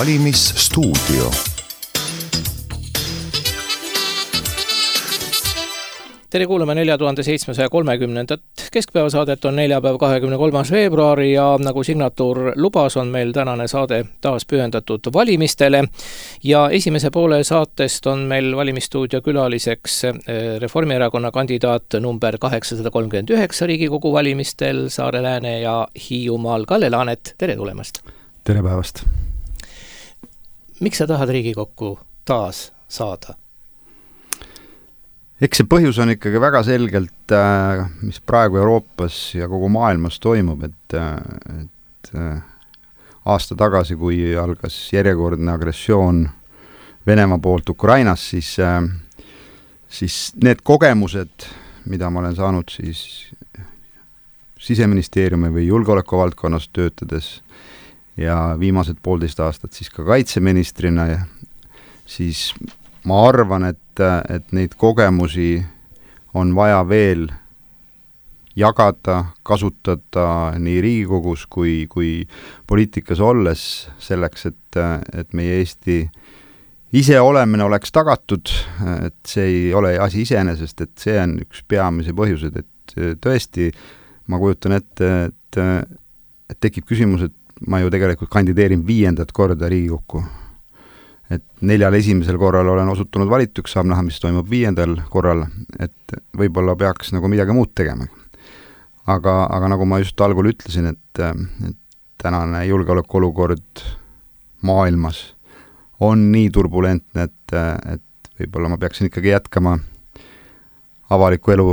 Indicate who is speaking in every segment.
Speaker 1: Valimisstuudio.
Speaker 2: Tere kuulame 4730. Keskpäevasaadet on neljapäev 23. veebruari ja nagu signatuur lubas, on meil tänane saade taas pühendatud valimistele. Ja esimese poole saatest on meil valimisstuudio külaliseks Reformierakonna kandidaat number 839 Riigikogu valimistel Saare, Lääne ja Hiiumaal Kalle Laanet. Tere tulemast!
Speaker 3: Tere päevast!
Speaker 2: Miks sa tahad Riigikokku taas saada?
Speaker 3: Eks see põhjus on ikkagi väga selgelt, mis praegu Euroopas ja kogu maailmas toimub, et aasta tagasi, kui algas järjekordne agressioon Venemaa poolt Ukrainas, siis need kogemused, mida ma olen saanud siis Siseministeeriumi või julgeoleku valdkonnas töötades ja viimased 1,5 aastat siis ka kaitseministrina, siis ma arvan, et neid kogemusi on vaja veel jagada, kasutada nii Riigikogus kui poliitikas olles selleks, et meie Eesti iseolemine oleks tagatud, et see ei ole asi iseenesest, et see on üks peamise põhjused, et tõesti ma kujutan ette, et tekib küsimus, et ma ju tegelikult kandideerin 5. korda Riigikokku. Et 4 esimesel korral olen osutunud valituks, saab näha, mis toimub 5. korral, et võib-olla peaks nagu midagi muud tegema. Aga nagu ma just algul ütlesin, et tänane julgeolekuolukord maailmas on nii turbulentne, et võib-olla ma peaksin ikkagi jätkama avaliku elu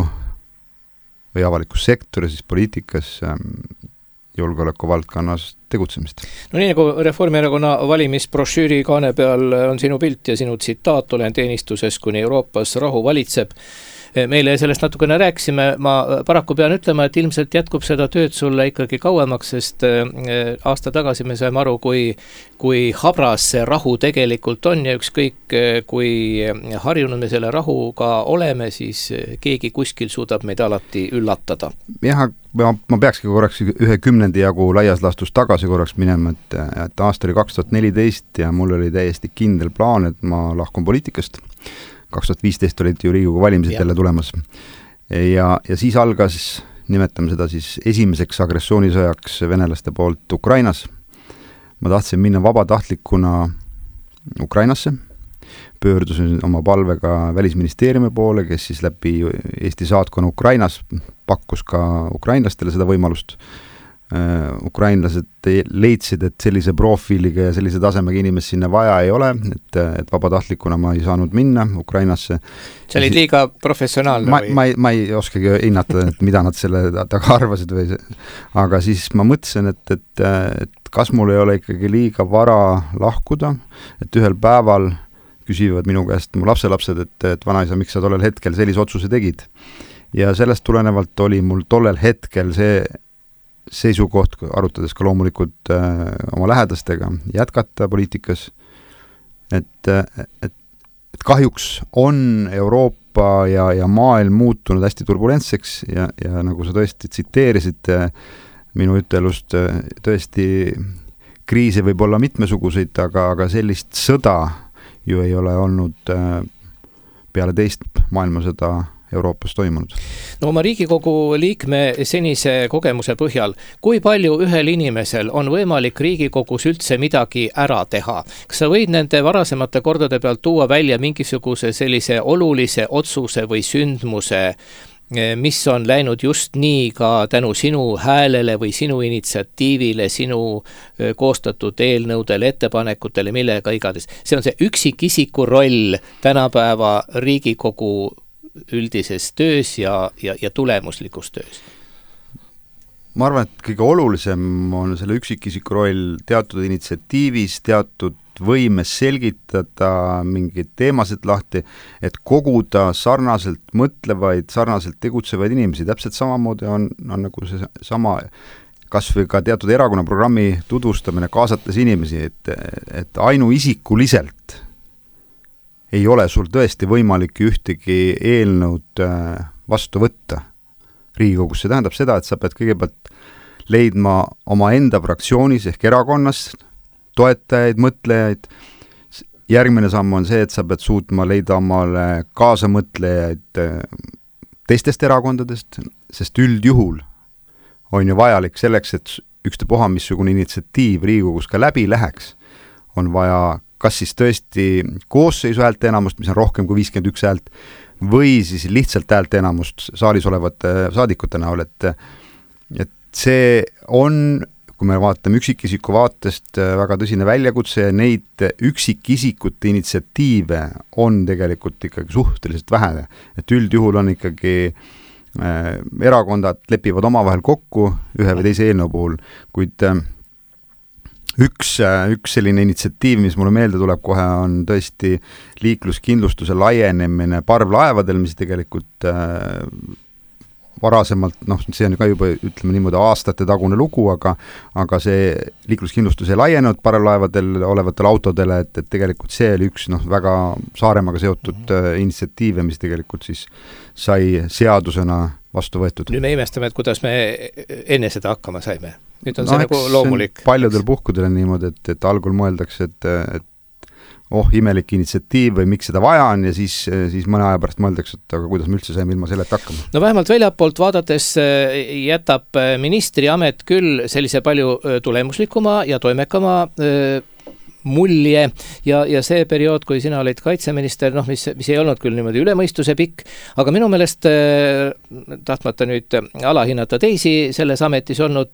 Speaker 3: või avalikus sektoris, siis poliitikas julgeoleku valdkonnas tegutsemist.
Speaker 2: No nii nagu Reformierakonna valimisbrošüüri kaane peal on sinu pilt ja sinu tsitaat, olen teenistuses, kuni Euroopas rahu valitseb. Meile sellest natukene rääkisime, ma paraku pean ütlema, et ilmselt jätkub seda tööd sulle ikkagi kauemaks, sest aasta tagasi me saime aru, kui habras see rahu tegelikult on ja ükskõik, kui harjunud me selle rahuga oleme, siis keegi kuskil suudab meid alati üllatada.
Speaker 3: Jah, ma peakski korraks 10 jagu laias laastus tagasi korraks minema, et aasta oli 2014 ja mul oli täiesti kindel plaan, et ma lahkun poliitikast. 2015 olid ju Riigikogu valimised jälle tulemas. Ja siis algas, nimetame seda siis esimeseks agressioonisõjaks venelaste poolt Ukrainas. Ma tahtsin minna vabatahtlikuna Ukrainasse, pöördusin oma palvega Välisministeeriumi poole, kes siis läbi Eesti saatkonna Ukrainas pakkus ka ukrainlastele seda võimalust. Ukrainlased leidsid, et sellise profiiliga ja sellise tasemega inimest sinna vaja ei ole, et vabatahtlikuna ma ei saanud minna Ukrainasse.
Speaker 2: See oli liiga professionaalne või?
Speaker 3: Ma ei oskagi hinnata, et mida nad selle taga arvasid või see. Aga siis ma mõtlesin, et kas mul ei ole ikkagi liiga vara lahkuda, et ühel päeval küsivad minu käest mu lapselapsed, et vanaisa, miks sa tollel hetkel sellise otsuse tegid. Ja sellest tulenevalt oli mul tollel hetkel see seisukoht, arutades ka loomulikult oma lähedastega, jätkata poliitikas, et kahjuks on Euroopa ja maailm muutunud hästi turbulentseks ja nagu sa tõesti tsiteerisid minu ütelust, tõesti kriise võib olla mitmesuguseid, aga sellist sõda ju ei ole olnud peale teist maailmasõda Euroopas toimunud.
Speaker 2: No oma Riigikogu liikme senise kogemuse põhjal, kui palju ühel inimesel on võimalik Riigikogus üldse midagi ära teha? Kas sa võid nende varasemate kordade pealt tuua välja mingisuguse sellise olulise otsuse või sündmuse, mis on läinud just nii ka tänu sinu häälele või sinu initsiatiivile, sinu koostatud eelnõudele, ettepanekutele, millega igades? See on see üksikisiku roll tänapäeva Riigikogu üldises töös ja tulemuslikus töös?
Speaker 3: Ma arvan, et kõige olulisem on selle üksikisiku roll teatud initsiatiivis, teatud võimes selgitada mingeid teemasid lahti, et koguda sarnaselt mõtlevaid, sarnaselt tegutsevaid inimesi. Täpselt samamoodi on nagu see sama, kas või ka teatud erakonna programmi tutvustamine, kaasates inimesi, et ainuisikuliselt ei ole sul tõesti võimalik ühtegi eelnõud vastu võtta Riigikogus. See tähendab seda, et sa pead kõigepealt leidma oma enda fraktsioonis ehk erakonnas toetajaid, mõtlejaid, järgmine samm on see, et sa pead suutma leida omale kaasamõtlejaid teistest erakondadest, sest üldjuhul on ju vajalik selleks, et ükstapuha missugune initsiatiiv Riigikogus ka läbi läheks, on vaja kas siis tõesti koosseisu häälte enamust, mis on rohkem kui 51 häält, või siis lihtsalt häälte enamust saalis olevate saadikute näol, et see on, kui me vaatame üksikisiku vaatest, väga tõsine väljakutse ja neid üksikisikute initsiatiive on tegelikult ikkagi suhteliselt vähe, et üldjuhul on ikkagi erakondad lepivad omavahel kokku ühe või teise eelnõu puhul, kuid üks selline initsiatiiv, mis mulle meelde tuleb kohe, on tõesti liikluskindlustuse laienemine parvlaevadel, mis tegelikult varasemalt, see on ka juba, ütleme niimoodi, aastate tagune lugu, aga see liikluskindlustus ei laienenud parvlaevadel olevatele autodele, et tegelikult see oli üks väga Saaremaaga seotud initsiatiive, mis tegelikult siis sai seadusena vastu võetud.
Speaker 2: Nüüd me imestame, et kuidas me enne seda hakkama saime. Nüüd on see nagu loomulik.
Speaker 3: Paljudel puhkudel on niimoodi, et algul mõeldakse, et imelik initsiatiiv või miks seda vaja on ja siis mõne aja pärast mõeldakse, et aga kuidas me üldse saime ilma selleta hakkama.
Speaker 2: No vähemalt väljapoolt vaadates jätab ministri amet küll sellise palju tulemuslikuma ja toimekama mulje ja see periood, kui sina olid kaitseminister, mis ei olnud küll niimoodi ülemõistuse pikk, aga minu meelest, tahtmata nüüd alahinnata teisi selles ametis olnud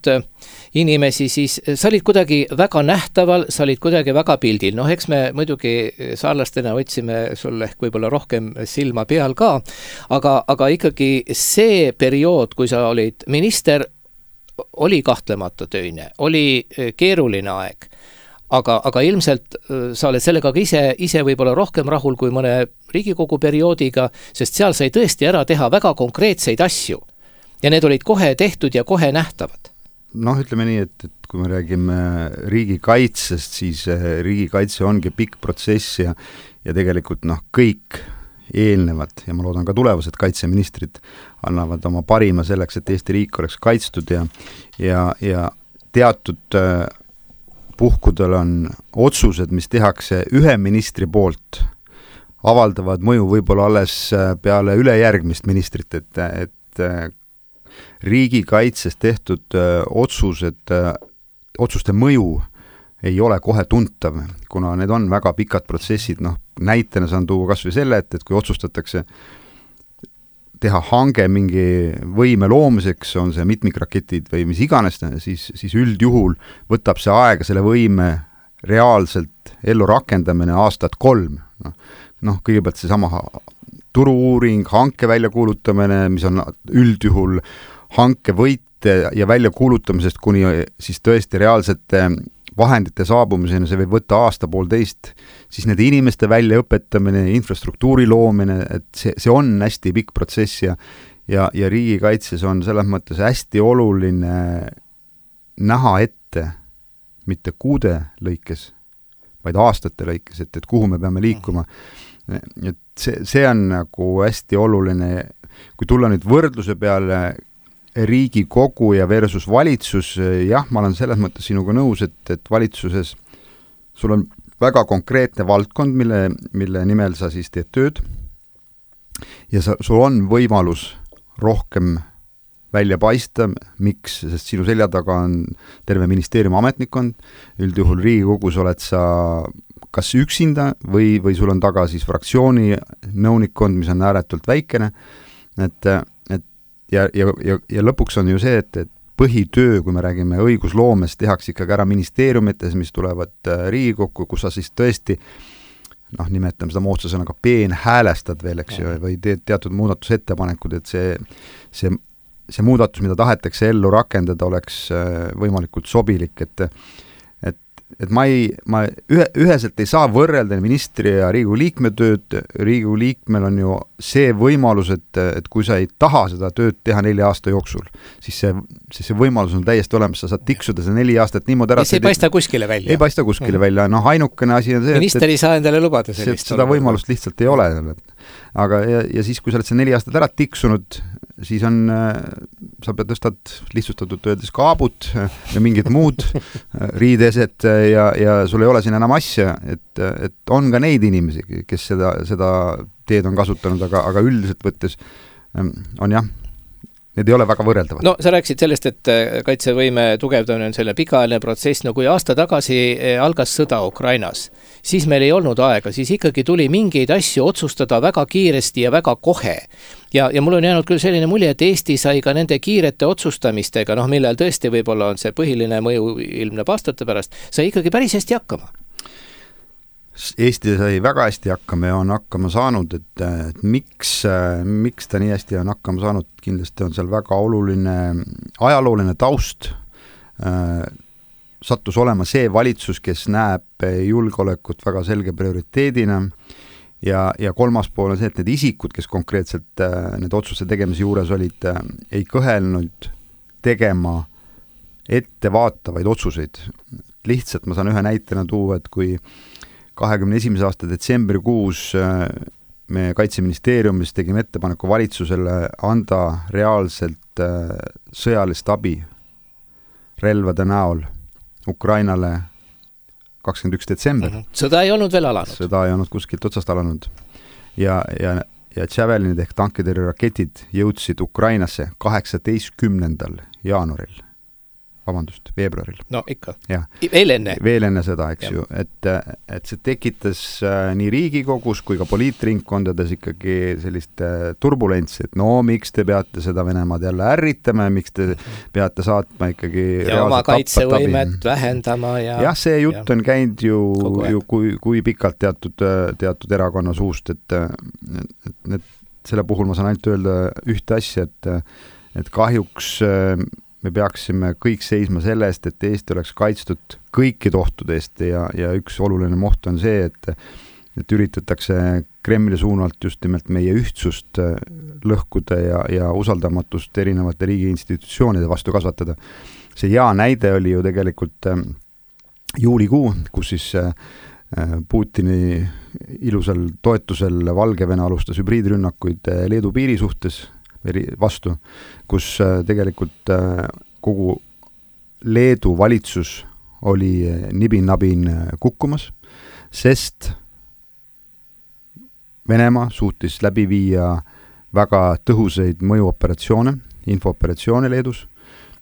Speaker 2: inimesi, siis sa olid kuidagi väga nähtaval, sa olid kuidagi väga pildil. Eks me muidugi saarlastena otsime sul ehk võib-olla rohkem silma peal ka, aga ikkagi see periood, kui sa olid minister, oli kahtlemata töine, oli keeruline aeg. Aga ilmselt sa oled sellega ka ise võib-olla rohkem rahul kui mõne Riigikogu perioodiga, sest seal sai tõesti ära teha väga konkreetseid asju. Ja need olid kohe tehtud ja kohe nähtavad.
Speaker 3: Ütleme nii, et kui me räägime riigikaitsest, siis riigikaitse ongi pikk protsess ja tegelikult kõik eelnevad ja ma loodan ka tulevased kaitseministrid annavad oma parima selleks, et Eesti riik oleks kaitstud ja teatud puhkudel on otsused, mis tehakse ühe ministri poolt, avaldavad mõju võib-olla alles peale ülejärgmist ministrit, et riigikaitses tehtud otsuste mõju ei ole kohe tuntav, kuna need on väga pikad protsessid, näitena saan tuua kas või selle, et kui otsustatakse teha hange mingi võime loomiseks, on see mitmikraketid või mis iganes, siis üldjuhul võtab see aega selle võime reaalselt ellu rakendamine aastat 3. Kõigepealt see sama turu-uuring, hanke väljakuulutamine, mis on üldjuhul hanke võite ja väljakuulutamisest kuni siis tõesti reaalsete vahendite saabumisena, see võib võtta aasta-poolteist, siis nende inimeste väljaõpetamine, infrastruktuuri loomine, et see on hästi pikk protsess ja riigikaitses on selles mõttes hästi oluline näha ette, mitte kuude lõikes, vaid aastate lõikes, et kuhu me peame liikuma. Et see on nagu hästi oluline, kui tulla nüüd võrdluse peale Riigikogu ja versus valitsus, jah, ma olen selles mõttes sinuga nõus, et valitsuses sul on väga konkreetne valdkond, mille nimel sa siis teed tööd ja sul on võimalus rohkem välja paista, miks, sest sinu selja taga on terve ministeeriumi ametnikkond, üldjuhul Riigikogus oled sa kas üksinda või sul on taga siis fraktsiooni nõunikkond, mis on ääretult väikene, ja lõpuks on ju see, et põhitöö, kui me räägime õigusloomest, tehakse ikkagi ära ministeeriumites, mis tulevad Riigikokku, kus sa siis tõesti, nimetame seda moodsa sõnaga peenhäälestad veel, eks ju, või teed teatud muudatusettepanekud, et see muudatus, mida tahetakse ellu rakendada, oleks võimalikult sobilik, et ma üheselt ei saa võrrelda ministri ja Riigikogu liikme tööd. Riigikogu liikmel on ju see võimalus, et kui sa ei taha seda tööd teha 4 aasta jooksul, siis see võimalus on täiesti olemas, sa saad tiksuda see 4 aastat niimoodi ära.
Speaker 2: See ei paista kuskile välja.
Speaker 3: Ei paista kuskile välja, ainukene asi on see,
Speaker 2: minister ei saa endale lubada sellist.
Speaker 3: Seda võimalust lihtsalt ei ole. Aga ja siis, kui sa oled see 4 aastat ära tiksunud, siis on, sa pead tõstad lihtsustatult öeldes kaabut ja mingid muud riideeset ja sul ei ole siin enam asja, et on ka neid inimesi, kes seda teed on kasutanud, aga üldiselt võttes on jah, need ei ole väga võrreldavad.
Speaker 2: No sa rääkisid sellest, et kaitsevõime tugevdamine on selle pikaajaline protsess, no kui aasta tagasi algas sõda Ukrainas, siis meil ei olnud aega, siis ikkagi tuli mingeid asju otsustada väga kiiresti ja väga kohe. Ja mul on jäänud küll selline mulje, et Eesti sai ka nende kiirete otsustamistega, millel tõesti võib-olla on see põhiline mõju ilmneb aastate pärast, sai ikkagi päris hästi hakkama.
Speaker 3: Eesti sai väga hästi hakkama ja on hakkama saanud, et miks ta nii hästi on hakkama saanud, kindlasti on seal väga oluline ajalooline taust, sattus olema see valitsus, kes näeb julgeolekut väga selge prioriteedina ja kolmas pool on see, et need isikud, kes konkreetselt need otsuse tegemise juures olid, ei kõhelnud tegema ettevaatavaid otsuseid. Lihtsalt ma saan ühe näitena tuua, et kui 21. aasta detsembrikuus me Kaitseministeeriumis tegime ettepaneku valitsusele anda reaalselt sõjalist abi relvade näol Ukrainale 21. detsember.
Speaker 2: Sõda ei olnud veel alanud.
Speaker 3: Sõda ei olnud kuskilt otsast alanud. Ja Javelinid ehk tankitõrjeraketid jõudsid Ukrainasse 18. jaanuaril. Veebruaril.
Speaker 2: No ikka.
Speaker 3: Ja.
Speaker 2: Veel enne
Speaker 3: seda, eks ju. Et see tekitas nii Riigikogus kui ka poliitringkondades ikkagi sellist turbulentsi, et miks te peate seda Venemaad jälle ärritama ja miks te peate saatma ikkagi
Speaker 2: ja oma kaitsevõimet vähendama.
Speaker 3: Jah, see jutt on käinud ju kui pikalt teatud erakonna suust, et selle puhul ma saan ainult öelda ühte asja, et kahjuks me peaksime kõik seisma selle eest, et Eesti oleks kaitstud kõikide ohtude eest ja üks oluline oht on see, et üritatakse Kremli suunalt just nimelt meie ühtsust lõhkuda ja usaldamatust erinevate riigi institutsioonide vastu kasvatada. See hea näide oli ju tegelikult juulikuu, kus siis Putini ilusal toetusel Valgevene alustas hübriidrünnakuid Leedu piiri suhtes vastu, kus tegelikult kogu Leedu valitsus oli nibin-nabin kukkumas, sest Venemaa suutis läbi viia väga tõhusaid mõjuoperatsioone, infooperatsioone Leedus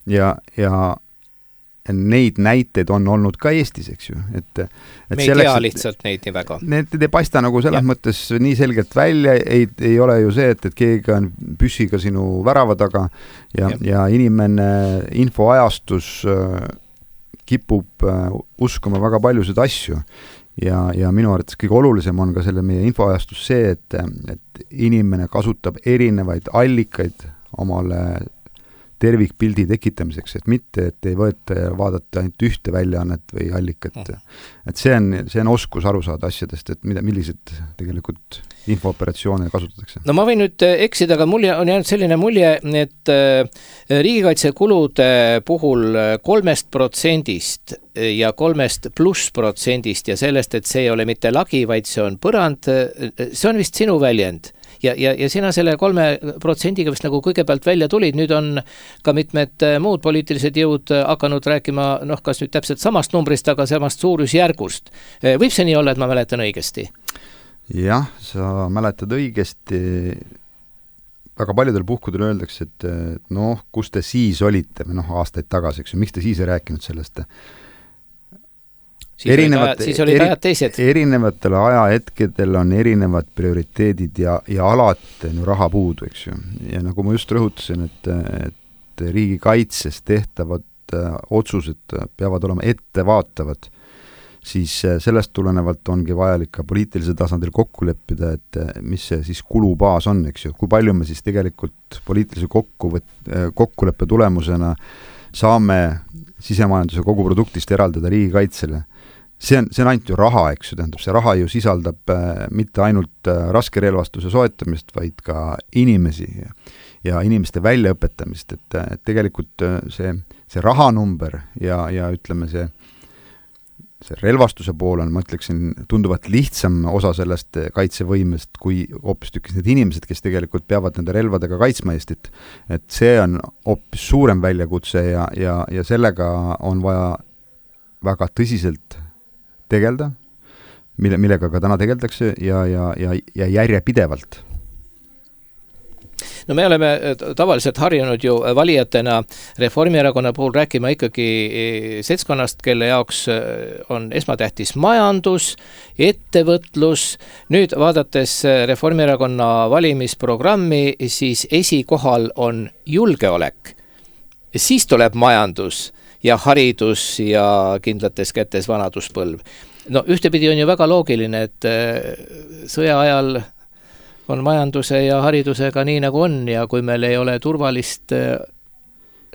Speaker 3: ja neid näiteid on olnud ka Eestis, eks ju.
Speaker 2: Me ei tea lihtsalt neid nii väga.
Speaker 3: Need ei paista nagu selles mõttes nii selgelt välja, ei ole ju see, et keegi on püssiga sinu värava taga ja inimene infoajastus kipub uskuma väga paljusid asju ja minu arvates kõige olulisem on ka selle meie infoajastus see, et inimene kasutab erinevaid allikaid omale tervikpildi tekitamiseks, et mitte, et ei võeta ja vaadata ainult ühte väljaannet või allikat. Et see on oskus aru saada asjadest, et millised tegelikult infooperatsioone kasutatakse. No
Speaker 2: ma võin nüüd eksida, aga mul on jäänud selline mulje, et riigikaitsekulude puhul 3% ja 3+% ja sellest, et see ei ole mitte lagi, vaid see on põrand, see on vist sinu väljend. Ja sina selle 3%-ga vist nagu kõigepealt välja tulid, nüüd on ka mitmed muud poliitilised jõud hakanud rääkima, kas nüüd täpselt samast numbrist, aga samast suurusjärgust. Võib see nii olla, et ma mäletan õigesti?
Speaker 3: Jah, sa mäletad õigesti. Väga paljudel puhkudel öeldakse, et kus te siis olite, aastaid tagasi, eks ju, miks te siis ei rääkinud sellest?
Speaker 2: Siis olid ajad teised.
Speaker 3: Erinevatel ajahetkedel on erinevad prioriteedid ja alati on raha puudu, eks ju. Ja nagu ma just rõhutasin, et riigikaitses tehtavad otsused peavad olema ettevaatavad, siis sellest tulenevalt ongi vajalik ka poliitilisel tasandil kokku leppida, et mis see siis kulubaas on, eks ju. Kui palju me siis tegelikult poliitilise kokkuleppe tulemusena saame sisemajanduse koguproduktist eraldada riigikaitsele. See on ainult ju raha, eks ju, tähendab, see raha ju sisaldab mitte ainult raskerelvastuse soetamist, vaid ka inimesi ja inimeste väljaõpetamist, et tegelikult see rahanumber ja ütleme see relvastuse pool on, ma ütleksin, tunduvalt lihtsam osa sellest kaitsevõimest, kui hoopistükkis need inimesed, kes tegelikult peavad nende relvadega kaitsma Eestit. Et see on hoopis suurem väljakutse ja sellega on vaja väga tõsiselt tegelda, millega ka täna tegeldakse ja järjepidevalt.
Speaker 2: No me oleme tavaliselt harjunud ju valijatena Reformierakonna puhul rääkima ikkagi seltskonnast, kelle jaoks on esmatähtis majandus, ettevõtlus. Nüüd vaadates Reformierakonna valimisprogrammi, siis esikohal on julgeolek. Siis tuleb majandus ja haridus ja kindlates kätes vanaduspõlv. No ühtepidi on ju väga loogiline, et sõja ajal on majanduse ja haridusega nii nagu on ja kui meil ei ole turvalist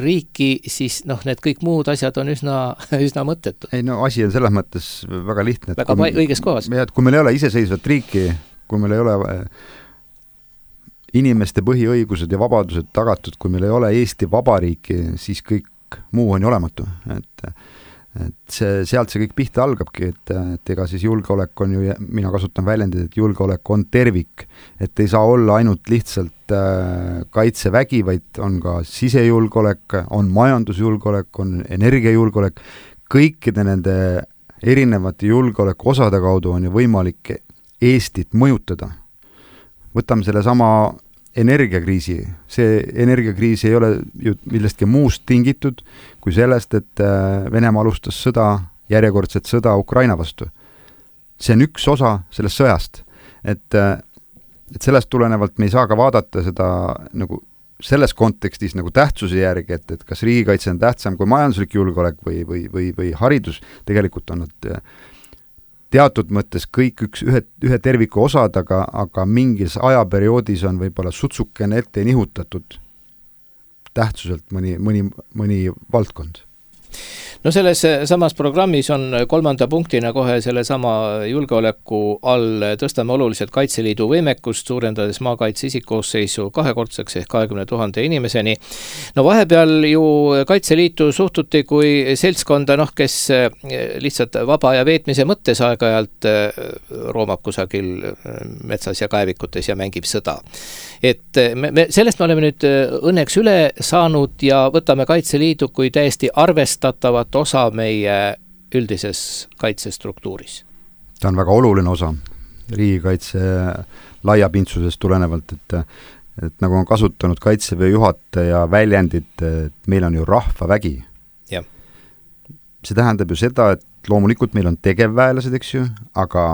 Speaker 2: riiki, siis need kõik muud asjad on üsna mõttetud.
Speaker 3: Ei no asi on selles mõttes väga lihtne.
Speaker 2: Väga õiges kohas.
Speaker 3: Kui meil ei ole iseseisvat riiki, kui meil ei ole inimeste põhiõigused ja vabadused tagatud, kui meil ei ole Eesti Vabariiki, siis kõik muu on ju olematu. Et sealt see kõik pihta algabki, et ega siis julgeolek on ju, mina kasutan väljendid, et julgeolek on tervik, et ei saa olla ainult lihtsalt kaitsevägi, vaid on ka sisejulgeolek, on majandusjulgeolek, on energiajulgeolek, kõikide nende erinevate julgeoleku osade kaudu on ju võimalik Eestit mõjutada. Võtame selle sama energiakriisi. See energiakriis ei ole ju millestki muust tingitud kui sellest, et Venemaa alustas järjekordset sõda Ukraina vastu. See on üks osa sellest sõjast. Et sellest tulenevalt me ei saa ka vaadata seda nagu selles kontekstis nagu tähtsuse järgi, et kas riigikaitse on tähtsam kui majanduslik julgeolek või haridus. Tegelikult on nad teatud mõttes kõik ühe terviku osad, aga mingis ajaperioodis on võib-olla sutsukene ette nihutatud tähtsuselt mõni valdkond.
Speaker 2: No selles samas programmis on 3. punktina kohe selle sama julgeoleku all tõstame oluliselt Kaitseliidu võimekust, suurendades maakaitse isikkoosseisu 2-kordseks ehk 20 000 inimeseni. No vahepeal ju Kaitseliitu suhtuti kui seltskonda, kes lihtsalt vaba ja veetmise mõttes aeg-ajalt roomab kusagil metsas ja kaevikutes ja mängib sõda. Et sellest me oleme nüüd õnneks üle saanud ja võtame Kaitseliidu kui täiesti arvestatavat osa meie üldises kaitsestruktuuris.
Speaker 3: Ta on väga oluline osa riigikaitse laiapindsusest tulenevalt, et nagu on kasutanud Kaitseväe juhataja väljendit, et meil on ju rahvavägi.
Speaker 2: Ja.
Speaker 3: See tähendab ju seda, et loomulikult meil on tegevväelased, eks ju, aga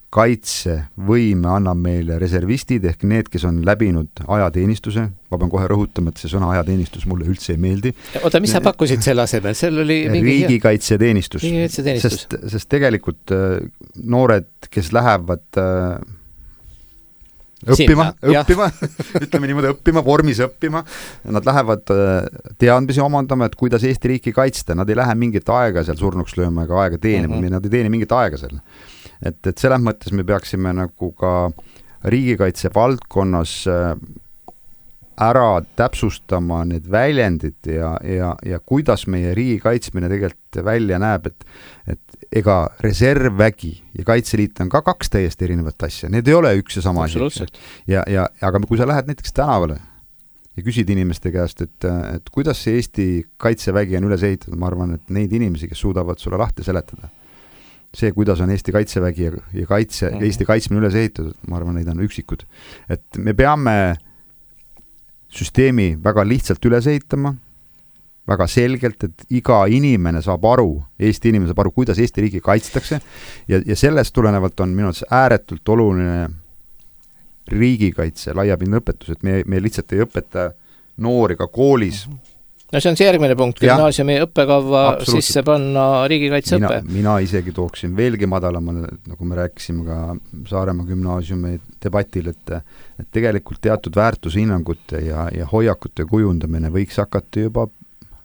Speaker 3: kaitsevõime annab meile reservistid ehk need, kes on läbinud ajateenistuse. Ma pean kohe rõhutama, et see sõna ajateenistus mulle üldse ei meeldi.
Speaker 2: Oota, mis sa pakkusid selle asemel? Seal oli
Speaker 3: riigikaitseteenistus. Sest tegelikult noored, kes lähevad õppima, ütleme niimoodi õppima, vormis õppima, nad lähevad teadmisi omandama, et kuidas Eesti riiki kaitsta, nad ei lähe mingit aega seal surnuks lööma ega aega teenima, nad ei teeni mingit aega seal. Et selles mõttes me peaksime nagu ka riigikaitse valdkonnas ära täpsustama need väljendid ja kuidas meie riigi kaitsmine tegelikult välja näeb, et ega reservvägi ja Kaitseliit on ka 2 täiesti erinevat asja, need ei ole üks ja sama asi. Aga kui sa lähed näiteks tänavale ja küsid inimeste käest, et kuidas see Eesti kaitsevägi on üles ehitatud, ma arvan, et neid inimesi, kes suudavad sulle lahti seletada. See, kuidas on Eesti kaitsevägi ja Eesti kaitsmine üles ehitatud, ma arvan, neid on üksikud. Et me peame süsteemi väga lihtsalt üles ehitama, väga selgelt, et iga inimene saab aru, Eesti inimene saab aru, kuidas Eesti riigi kaitstakse ja sellest tulenevalt on minu arvates ääretult oluline riigikaitse, laiapindne õpetus, et me lihtsalt ei õpeta noori ka koolis.
Speaker 2: No see on see järgmine punkt, gümnaasiumi õppekava sisse panna riigikaitseõppe.
Speaker 3: Mina isegi tooksin veelgi madalamale, nagu me rääkisime ka Saaremaa gümnaasiumi debatil, et tegelikult teatud väärtushinnangute ja hoiakute kujundamine võiks hakata juba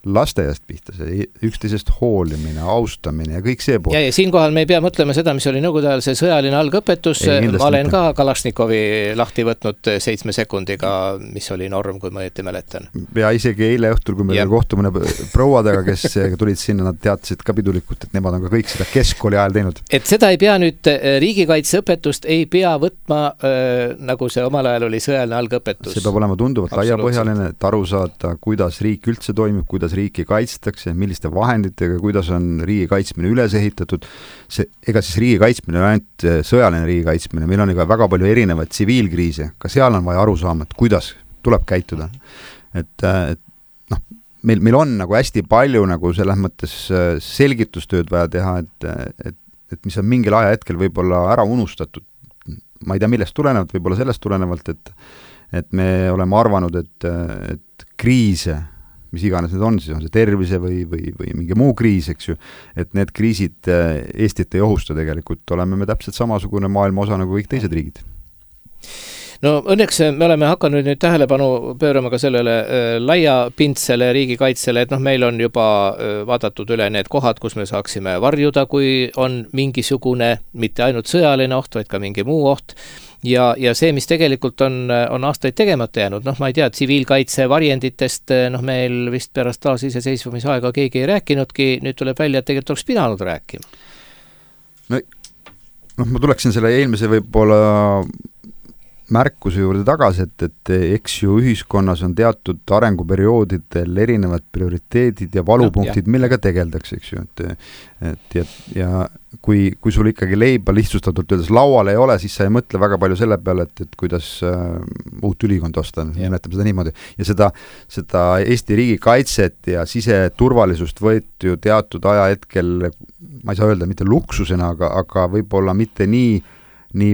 Speaker 3: lasteaiast pihta, see üksteisest hoolimine, austamine ja kõik see pool.
Speaker 2: Ja siinkohal me ei pea mõtlema seda, mis oli nõukogude ajal see sõjaline algõpetus, ma olen ka Kalašnikovi lahti võtnud 7 sekundiga, mis oli norm, kui ma õieti mäletan.
Speaker 3: Ja isegi eile õhtul, kui meil kohtumine prouadega, kes tulid sinna, nad teatasid ka pidulikult, et nemad on ka kõik seda keskkooli ajal teinud.
Speaker 2: Et seda ei pea nüüd riigikaitseõpetust ei pea võtma nagu see omal ajal oli sõjaline algõpetus.
Speaker 3: See peab olema tunduvalt laiapõhjaline, et aru saada, kuidas riik üldse toimib, kuidas riiki kaitstakse, milliste vahenditega, kuidas on riigi kaitsmine üles ehitatud. Ega siis riigi kaitsmine on ainult sõjaline riigi kaitsmine, meil on ega väga palju erinevaid tsiviilkriise, ka seal on vaja aru saama, et kuidas tuleb käituda. Et meil on nagu hästi palju nagu selles mõttes selgitustööd vaja teha, et mis on mingil ajahetkel võib-olla ära unustatud. Ma ei tea, millest tulenevalt, võib-olla sellest tulenevalt, et me oleme arvanud, et kriise, mis iganes need on, siis on see tervise või mingi muu kriis, eks ju, et need kriisid Eestit ei ohusta tegelikult, oleme me täpselt samasugune maailma osa nagu kõik teised riigid.
Speaker 2: No õnneks me oleme hakanud nüüd tähelepanu pöörama ka sellele laiapindsele riigikaitsele, et meil on juba vaadatud üle need kohad, kus me saaksime varjuda, kui on mingisugune, mitte ainult sõjaline oht, vaid ka mingi muu oht. Ja see, mis tegelikult on aastaid tegemata jäänud, ma ei tea, tsiviilkaitse varjenditest meil vist pärast taasiseseisvumisaega keegi ei rääkinudki, nüüd tuleb välja, et tegelikult oleks pidanud rääkima.
Speaker 3: Ma tuleksin selle eelmise võib-olla märkuse juurde tagasi, et eks ju ühiskonnas on teatud arenguperioodidel erinevad prioriteedid ja valupunktid, millega tegeldakse, eks ju, ja kui sul ikkagi leiba lihtsustatult öeldes laual ei ole, siis sa ei mõtle väga palju selle peale, et kuidas uut ülikond osta, nimetame seda niimoodi. Ja seda Eesti riigi kaitset ja siseturvalisust võeti ju teatud ajahetkel, ma ei saa öelda mitte luksusena, aga võib-olla mitte nii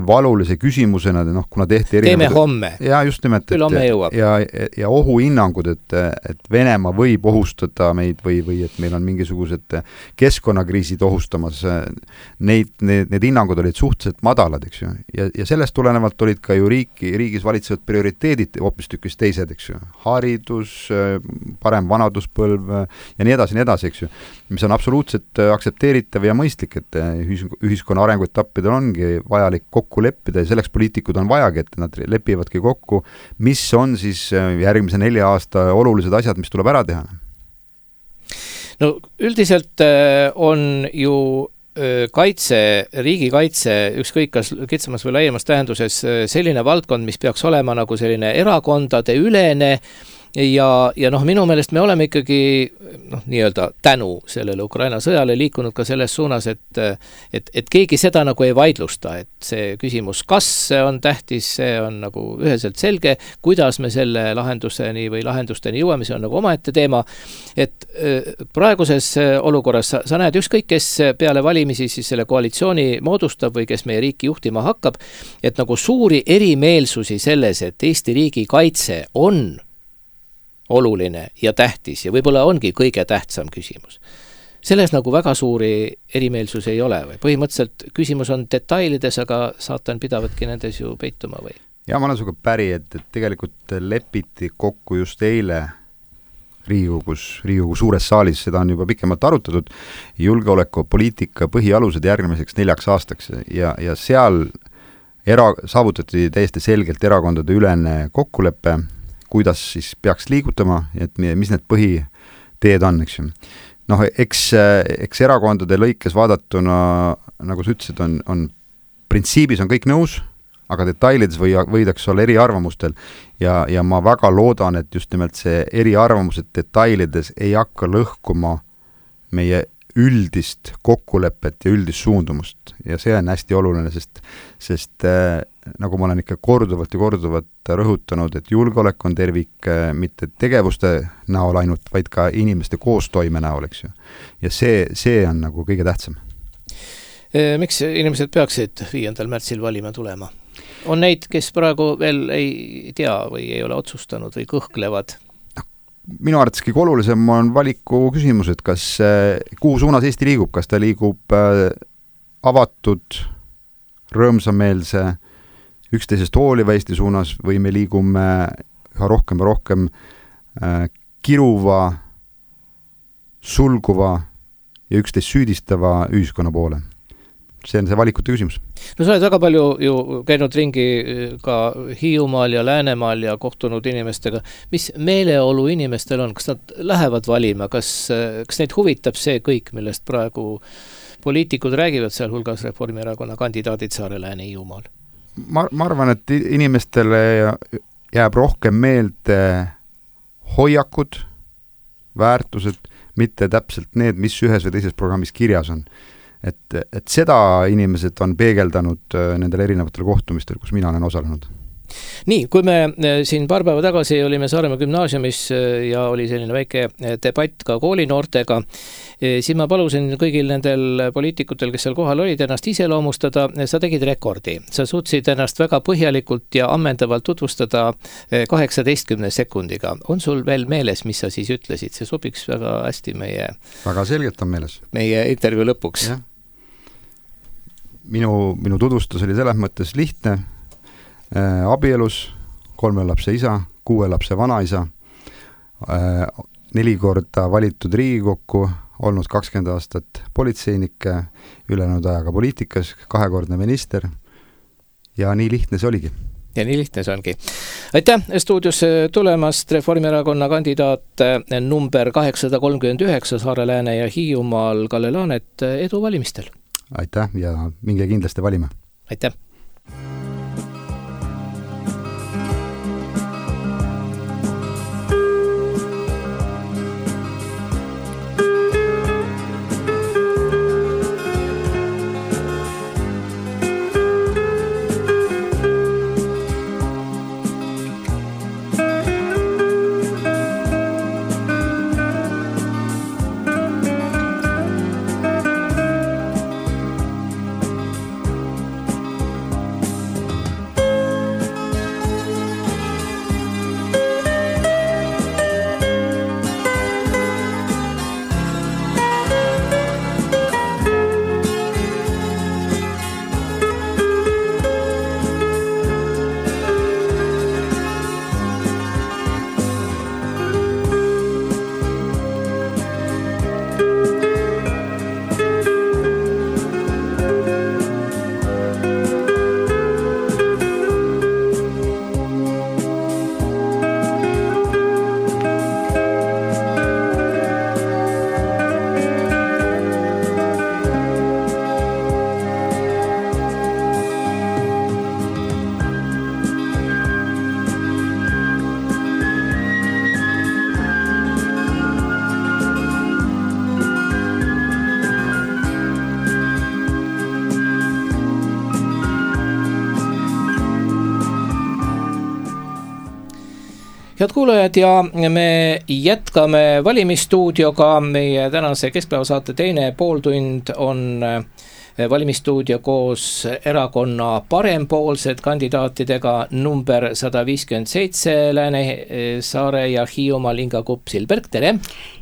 Speaker 3: valulise küsimusena, kuna tehti
Speaker 2: teeme homme.
Speaker 3: Ja just nimelt, ja ohuhinnangud, et Venemaa võib ohustada meid või et meil on mingisugused keskkonnakriisid ohustamas, need hinnangud olid suhteliselt madalad, eks ju. Ja sellest tulenevalt olid ka ju riigis valitsevad prioriteedid hoopistükkis teised, eks ju. Haridus, parem vanaduspõlv ja nii edasi, eks ju. Mis on absoluutselt aktsepteeritav ja mõistlik, et ühiskonna arenguetappidel ongi vajalik kokku leppida ja selleks poliitikud on vajagi, et nad lepivadki kokku, mis on siis järgmise 4 aasta olulised asjad, mis tuleb ära teha.
Speaker 2: No üldiselt on ju riigikaitse, ükskõik kas kitsamas või laiemas tähenduses selline valdkond, mis peaks olema nagu selline erakondade ülene ja minu meelest me oleme ikkagi nii-öelda tänu sellele Ukraina sõjale liikunud ka selles suunas, et keegi seda nagu ei vaidlusta, et see küsimus, kas see on tähtis, see on nagu üheselt selge, kuidas me selle lahendusteni jõuame, see on nagu omaette teema, et praeguses olukorras sa näed ükskõik, kes peale valimisi siis selle koalitsiooni moodustab või kes meie riiki juhtima hakkab, et nagu suuri erimeelsusi selles, et Eesti riigi kaitse on oluline ja tähtis ja võib-olla ongi kõige tähtsam küsimus. Selles nagu väga suuri erimeelsusi ei ole või põhimõtteliselt küsimus on detailides, aga saatan pidavadki nendes ju peituma või?
Speaker 3: Ja ma olen sinuga päri, et tegelikult lepiti kokku just eile Riigikogu suures saalis, seda on juba pikemalt arutatud, julgeolekupoliitika põhialused järgmiseks 4 aastaks ja seal saavutati täiesti selgelt erakondade ülene kokkulepe, kuidas siis peaks liigutama, et mis need põhiteed on, eks ju. Eks erakondade lõikes vaadatuna, nagu sa ütlesid, on printsiibis on kõik nõus, aga detailides võidaks olla eriarvamustel ja ma väga loodan, et just nimelt see eriarvamused detailides ei hakka lõhkuma meie üldist kokkulepet ja üldist suundumust ja see on hästi oluline, sest nagu ma olen ikka korduvalt rõhutanud, et julgeolek on tervik mitte tegevuste näol ainult, vaid ka inimeste koostoime näol, eks ju. Ja see on nagu kõige tähtsam.
Speaker 2: Miks inimesed peaksid 5. märtsil valima tulema? On neid, kes praegu veel ei tea või ei ole otsustanud või kõhklevad?
Speaker 3: Minu arvates kõige olulisem on valiku küsimus, et kuhu suunas Eesti liigub, kas ta liigub avatud, rõõmsameelse, üksteisest hooliva Eesti suunas või me liigume üha rohkem ja rohkem kiruva, sulguva ja üksteist süüdistava ühiskonna poole. See on see valikute küsimus.
Speaker 2: No sa oled väga palju ju käinud ringi ka Hiiumaal ja Läänemaal ja kohtunud inimestega. Mis meeleolu inimestel on? Kas nad lähevad valima? Kas neid huvitab see kõik, millest praegu poliitikud räägivad, seal hulgas Reformierakonna kandidaadid Saare, Lääne, Hiiumaal?
Speaker 3: Ma arvan, et inimestele jääb rohkem meelde hoiakud, väärtused, mitte täpselt need, mis ühes või teises programmis kirjas on. Et seda inimesed on peegeldanud nendel erinevatel kohtumistel, kus mina olen osalenud.
Speaker 2: Nii, kui me siin paar päeva tagasi olime Saaremaa gümnaasiumis ja oli selline väike debatt ka koolinoortega, siis ma palusin kõigil nendel poliitikutel, kes seal kohal olid, ennast iseloomustada. Sa tegid rekordi. Sa suutsid ennast väga põhjalikult ja ammendavalt tutvustada 18 sekundiga. On sul veel meeles, mis sa siis ütlesid? See sobiks väga hästi
Speaker 3: väga selgelt on meeles.
Speaker 2: Meie intervjuu lõpuks.
Speaker 3: Ja. Minu tutvustus oli selles mõttes lihtne. Abielus, 3 lapse isa, 6 lapse vanaisa, 4 korda valitud Riigikokku, olnud 20 aastat politseinik, ülejäänud ajaga poliitikas, 2-kordne minister ja nii lihtne see oligi.
Speaker 2: Ja nii lihtne see ongi. Aitäh stuudios tulemast Reformierakonna kandidaat number 839 Saare, Lääne ja Hiiumaal Kalle Laanet. Edu valimistel!
Speaker 3: Aitäh ja minge kindlasti valima!
Speaker 2: Aitäh! Head kuulajad ja me jätkame valimisstuudioga. Meie tänase keskpäevasaate teine pooltund on valimisstuudio koos erakonna parempoolsed kandidaatidega number 157 Lääne, Saare ja Hiiumaal Inga Kupp-Silberg, tere!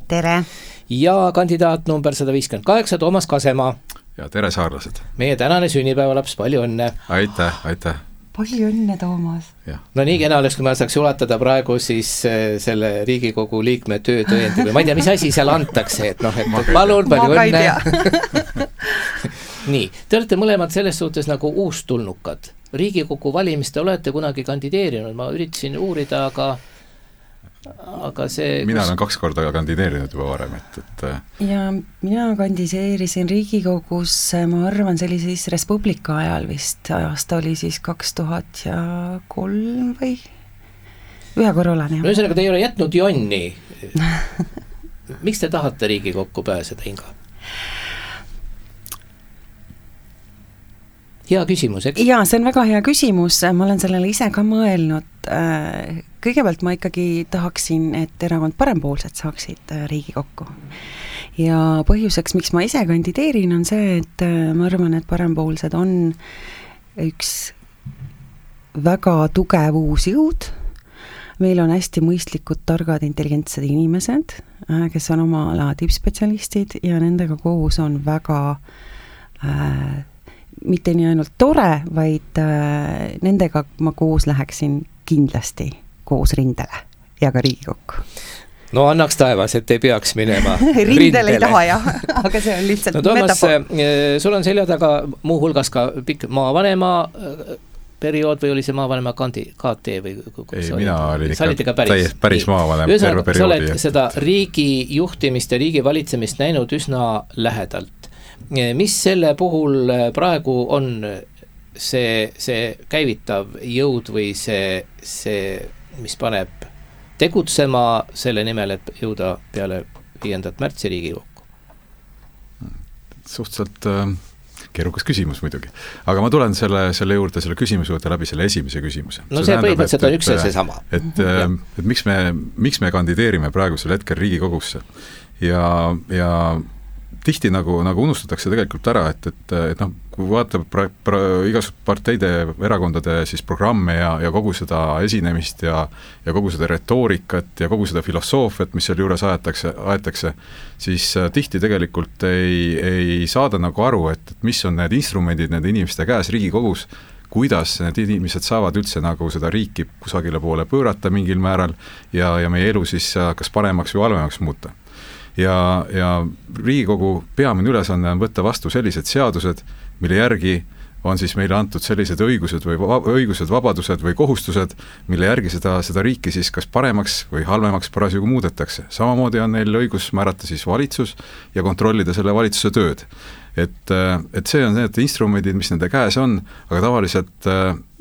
Speaker 1: Tere!
Speaker 2: Ja kandidaat number 158 Toomas Kasemaa.
Speaker 4: Ja tere saarlased!
Speaker 2: Meie tänane sünnipäevalaps, palju õnne!
Speaker 4: Aitäh!
Speaker 1: Palju õnne, Toomas!
Speaker 2: No nii kena oleks, kui ma saaks ulatada praegu siis selle Riigikogu liikme töötõendi või ma ei tea, mis asi seal antakse, et palun, palju õnne! Nii, te olete mõlemad selles suhtes nagu uustulnukad. Riigikogu valimiste olete kunagi kandideerinud, ma üritasin uurida, aga see...
Speaker 4: Mina olen 2 korda kandideerinud juba varem,
Speaker 1: Ja mina kandideerisin Riigikogus, ma arvan, see oli siis Respublika ajal vist, aasta oli siis 2003 või? Ühe korra olen, jah.
Speaker 2: No ühesõnaga, te ei ole jätnud jonni. Miks te tahate Riigikokku pääseda, Inga? Hea küsimus, eks?
Speaker 1: Jaa, see on väga hea küsimus, ma olen sellele ise ka mõelnud. Kõigepealt ma ikkagi tahaksin, et erakond parempoolsed saaksid Riigikokku. Ja põhjuseks, miks ma ise kandideerin, on see, et ma arvan, et parempoolsed on üks väga tugev uus jõud. Meil on hästi mõistlikud, targad, intelligentsed inimesed, kes on oma ala tippspetsialistid ja nendega koos on väga... mitte nii ainult tore, vaid nendega ma koos läheksin kindlasti koos rindele ja ka Riigikokku.
Speaker 2: no annaks taevas, et ei peaks minema
Speaker 1: rindele ei taha jah, aga see on lihtsalt
Speaker 2: Toomas, sul on selja taga muuhulgas ka pikk maavanema periood või oli see maavanema KT või
Speaker 4: ei, mina olin ikka päris maavanem terve perioodi.
Speaker 2: Sa oled seda riigi juhtimist ja riigi valitsemist näinud üsna lähedalt. Mis selle puhul praegu on see käivitav jõud või see, mis paneb tegutsema selle nimel, et jõuda peale 5. märtsi Riigikokku?
Speaker 4: Suhteliselt keerukas küsimus muidugi. Aga ma tulen selle juurde, selle küsimuse juurde läbi selle esimese küsimuse.
Speaker 2: No see põhimõtteliselt on üks ja see sama.
Speaker 4: Et miks me kandideerime praegusel hetkel Riigikogusse ja tihti nagu unustatakse tegelikult ära, et noh, kui vaatab igasugused parteide, erakondade siis programme ja kogu seda esinemist ja kogu seda retoorikat ja kogu seda filosoofiat, mis seal juures aetakse, siis tihti tegelikult ei saada nagu aru, et mis on need instrumendid nende inimeste käes Riigikogus, kuidas need inimesed saavad üldse nagu seda riiki kusagile poole pöörata mingil määral ja meie elu siis kas paremaks või halvemaks muuta. Ja Riigikogu peamine ülesanne on võtta vastu sellised seadused, mille järgi on siis meile antud sellised õigused, vabadused või kohustused, mille järgi seda riiki siis kas paremaks või halvemaks parasjagu muudetakse. Samamoodi on neil õigus määrata siis valitsus ja kontrollida selle valitsuse tööd. Et see on need instrumendid, mis nende käes on, aga tavaliselt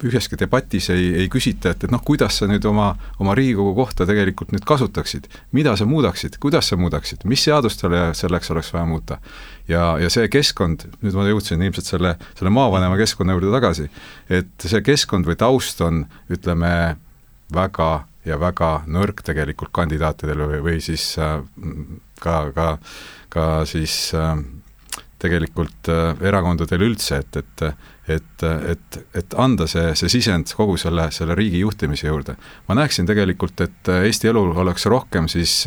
Speaker 4: üheski debatis ei küsita, et noh, kuidas sa nüüd oma Riigikogu kohta tegelikult nüüd kasutaksid, mida sa muudaksid, kuidas sa muudaksid, mis seadustele selleks oleks vaja muuta. Ja see keskkond, nüüd ma jõudsin ilmselt selle maavanema keskkonna juurde tagasi, et see keskkond või taust on, ütleme, väga nõrk tegelikult kandidaatidel või siis ka siis tegelikult erakondadel üldse, et anda see sisend kogu selle riigi juhtimise juurde. Ma näeksin tegelikult, et Eesti elul oleks rohkem siis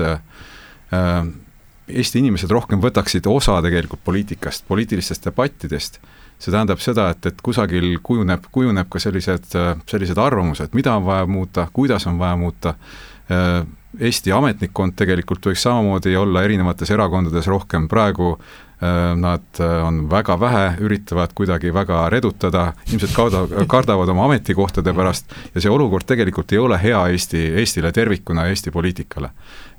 Speaker 4: Eesti inimesed rohkem võtaksid osa tegelikult poliitikast, poliitilistest debattidest. See tähendab seda, et kusagil kujuneb ka sellised arvamused, mida on vaja muuta, kuidas on vaja muuta. Eesti ametnikkond tegelikult võiks samamoodi olla erinevates erakondades rohkem praegu. Nad on väga vähe, üritavad kuidagi väga redutada, ilmselt kardavad oma ametikohtade pärast ja see olukord tegelikult ei ole hea Eestile tervikuna, Eesti poliitikale.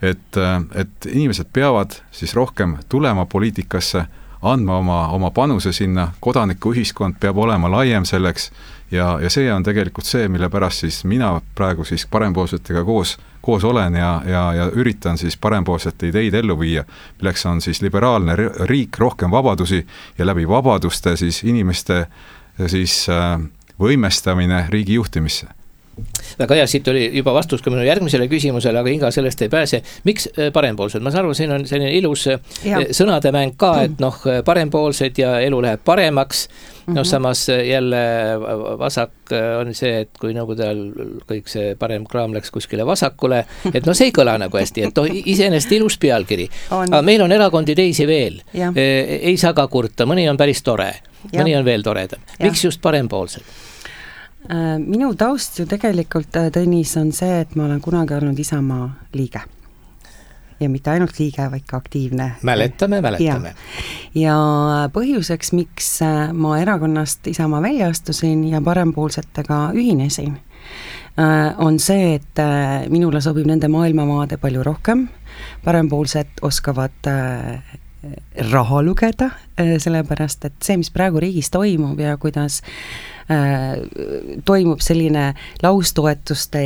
Speaker 4: Et inimesed peavad siis rohkem tulema poliitikasse, andma oma panuse sinna, kodanikuühiskond peab olema laiem selleks ja see on tegelikult see, mille pärast siis mina praegu siis parempoolsetega koos olen ja üritan siis parempoolsete ideid ellu viia, milleks on siis liberaalne riik, rohkem vabadusi ja läbi vabaduste siis inimeste siis võimestamine riigi juhtimisse.
Speaker 2: Väga hea, siit oli juba vastus ka minu järgmisele küsimusele, aga Inga sellest ei pääse. Miks parempoolsed? Ma saan aru, siin on selline ilus sõnademäng ka, et noh, parempoolsed ja elu läheb paremaks. No samas jälle vasak on see, et kui Nõukogude ajal kõik see parem kraam läks kuskile vasakule, et no see ei kõla nagu hästi, et iseenesest ilus pealkiri. Aga meil on erakondi teisi veel. Ei saa ka kurta, mõni on päris tore, mõni on veel toredam. Miks just parempoolsed?
Speaker 1: Minu taust ju tegelikult, Tõnis, on see, et ma olen kunagi olnud Isamaa liige. Ja mitte ainult liige, vaid ka aktiivne.
Speaker 2: Mäletame.
Speaker 1: Ja põhjuseks, miks ma erakonnast Isamaa välja astusin ja parempoolsetega ühinesin, on see, et minule sobib nende maailmamaade palju rohkem. Parempoolsed oskavad raha lugeda, sellepärast, et see, mis praegu riigis toimub ja kuidas toimub selline laustoetuste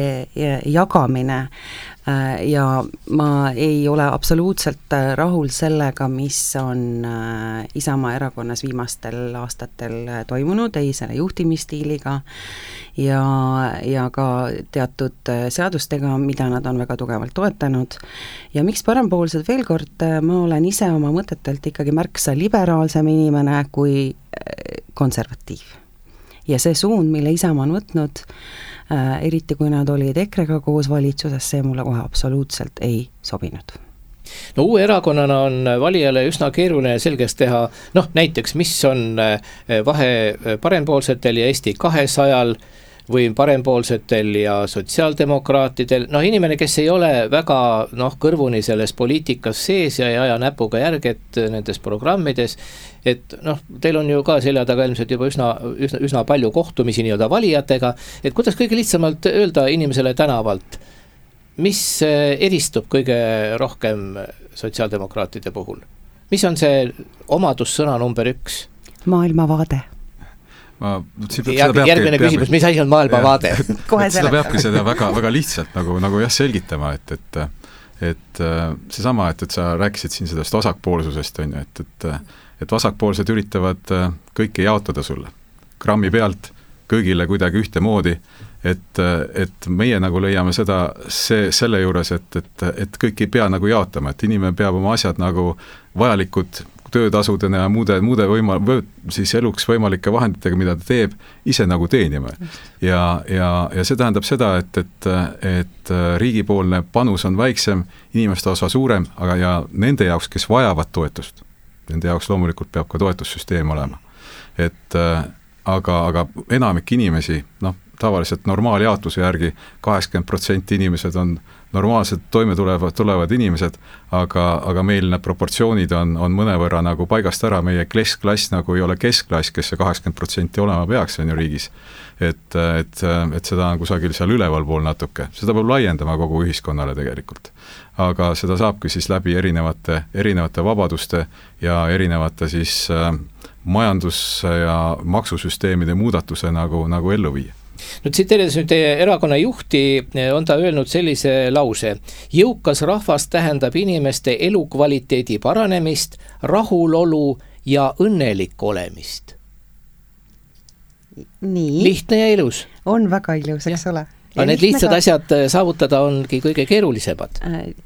Speaker 1: jagamine ja ma ei ole absoluutselt rahul sellega, mis on Isamaa erakonnas viimastel aastatel toimunud, ei selle juhtimisstiiliga ja ka teatud seadustega, mida nad on väga tugevalt toetanud. Ja miks parempoolsed? Veel kord, ma olen ise oma mõtetelt ikkagi märksa liberaalsem inimene kui konservatiiv. Ja see suund, mille Isamaa on võtnud, eriti kui nad olid EKRE-ga koos valitsuses, see mulle kohe absoluutselt ei sobinud.
Speaker 2: No uue erakonnana on valijale üsna keeruline selgeks teha, noh näiteks, mis on vahe parempoolsetel ja Eesti 200-l, või parempoolsetel ja sotsiaaldemokraatidel, inimene, kes ei ole väga kõrvuni selles poliitikas sees ja ei aja näpuga järget nendes programmides, et teil on ju ka selja taga ilmselt juba üsna palju kohtumisi nii-öelda valijatega, et kuidas kõige lihtsamalt öelda inimesele tänavalt, mis eristub kõige rohkem sotsiaaldemokraatide puhul? Mis on see omadussõna number 1?
Speaker 1: Maailmavaade.
Speaker 2: Järgmine küsimus, mis asi on maailmavaade?
Speaker 4: Seda peabki seda väga lihtsalt nagu selgitama, et seesama, et sa rääkisid siin sellest vasakpoolsusest, on ju, et vasakpoolsed üritavad kõike jaotada sulle grammi pealt, kõigile kuidagi ühtemoodi, et meie nagu leiame selle juures, et kõik ei pea nagu jaotama, et inimene peab oma asjad nagu vajalikud töötasudena ja muude siis eluks võimalike vahenditega, mida ta teeb, ise nagu teenima. Ja see tähendab seda, et riigipoolne panus on väiksem, inimeste osa suurem, aga ja nende jaoks, kes vajavad toetust, nende jaoks loomulikult peab ka toetussüsteem olema. Aga enamik inimesi, tavaliselt normaaljaotuse järgi 80% inimesed on normaalselt toime tulevad inimesed, aga meil need proportsioonid on mõnevõrra nagu paigast ära, meie keskklass nagu ei ole keskklass, kes see 80% olema peaks, on ju riigis. Et seda on kusagil seal ülevalpool natuke, seda peab laiendama kogu ühiskonnale tegelikult. Aga seda saabki siis läbi erinevate vabaduste ja erinevate siis majandus- ja maksusüsteemide muudatuse nagu ellu viia.
Speaker 2: Tsiteerides nüüd teie erakonna juhti, on ta öelnud sellise lause: jõukas rahvas tähendab inimeste elukvaliteedi paranemist, rahulolu ja õnnelik olemist.
Speaker 1: Nii.
Speaker 2: Lihtne ja ilus.
Speaker 1: On väga ilus, eks ole.
Speaker 2: Aga need lihtsad asjad saavutada ongi kõige keerulisemad.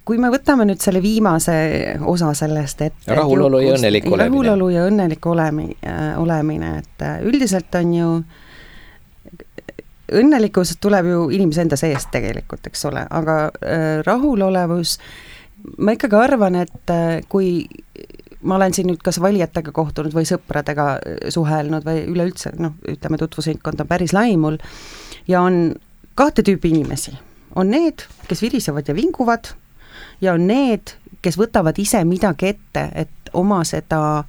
Speaker 1: Kui me võtame nüüd selle viimase osa sellest, et
Speaker 2: rahulolu ja õnnelik olemine.
Speaker 1: Rahulolu ja õnnelik olemine, et üldiselt on ju õnnelikkus tuleb ju inimese enda seest tegelikult, eks ole, aga rahulolevus, ma ikkagi arvan, et kui ma olen siin nüüd kas valijatega kohtunud või sõpradega suhelnud või üleüldse, ütleme tutvusringkond on päris lai mul ja on 2 tüüpi inimesi. On need, kes virisevad ja vinguvad ja on need, kes võtavad ise midagi ette, et oma seda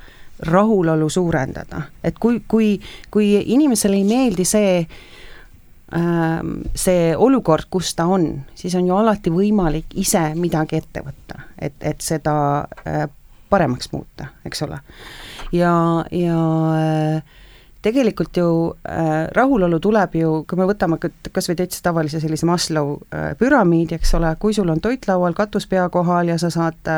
Speaker 1: rahulolu suurendada. Et kui inimesele ei meeldi see olukord, kus ta on, siis on ju alati võimalik ise midagi ette võtta, et seda paremaks muuta, eks ole. Ja tegelikult ju rahulolu tuleb ju, kui me võtame kas või täitsa tavalise sellise Maslow püramiidi, eks ole, kui sul on toit laual, katus pea kohal ja sa saad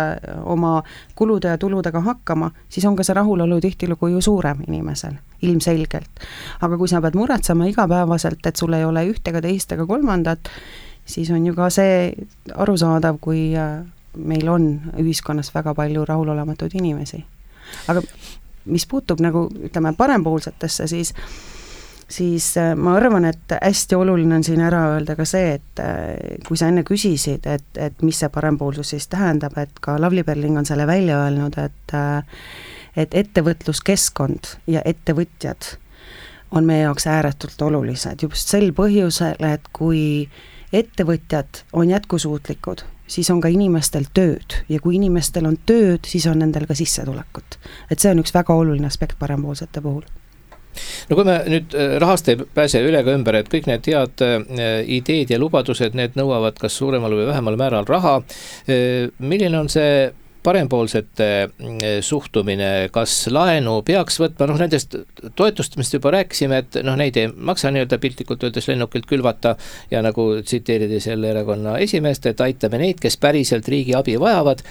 Speaker 1: oma kulude ja tuludega hakkama, siis on ka see rahulolu tihtilugu ju suurem inimesel, ilmselgelt. Aga kui sa pead muretsema igapäevaselt, et sul ei ole ühtega, teist ega kolmandat, siis on ju ka see arusaadav, kui meil on ühiskonnas väga palju rahulolematuid inimesi. Aga mis puutub nagu, ütleme, parempoolsetesse, siis ma arvan, et hästi oluline on siin ära öelda ka see, et kui sa enne küsisid, et mis see parempoolsus siis tähendab, et ka Lavly Perling on selle välja öelnud, et ettevõtluskeskkond ja ettevõtjad on meie jaoks ääretult olulised just sel põhjusel, et kui ettevõtjad on jätkusuutlikud, siis on ka inimestel tööd ja kui inimestel on tööd, siis on nendel ka sissetulekut. Et see on üks väga oluline aspekt parempoolsete puhul.
Speaker 2: No kui me nüüd rahast ei pääse üle ka ümber, et kõik need head ideed ja lubadused, need nõuavad kas suuremal või vähemal määral raha. Milline on see parempoolsete suhtumine, kas laenu peaks võtma, nendest toetustest juba rääkisime, et neid ei maksa nii-öelda piltlikult öeldes lennukilt külvata ja nagu tsiteerida selle erakonna esimeest, et aitame neid, kes päriselt riigi abi vajavad,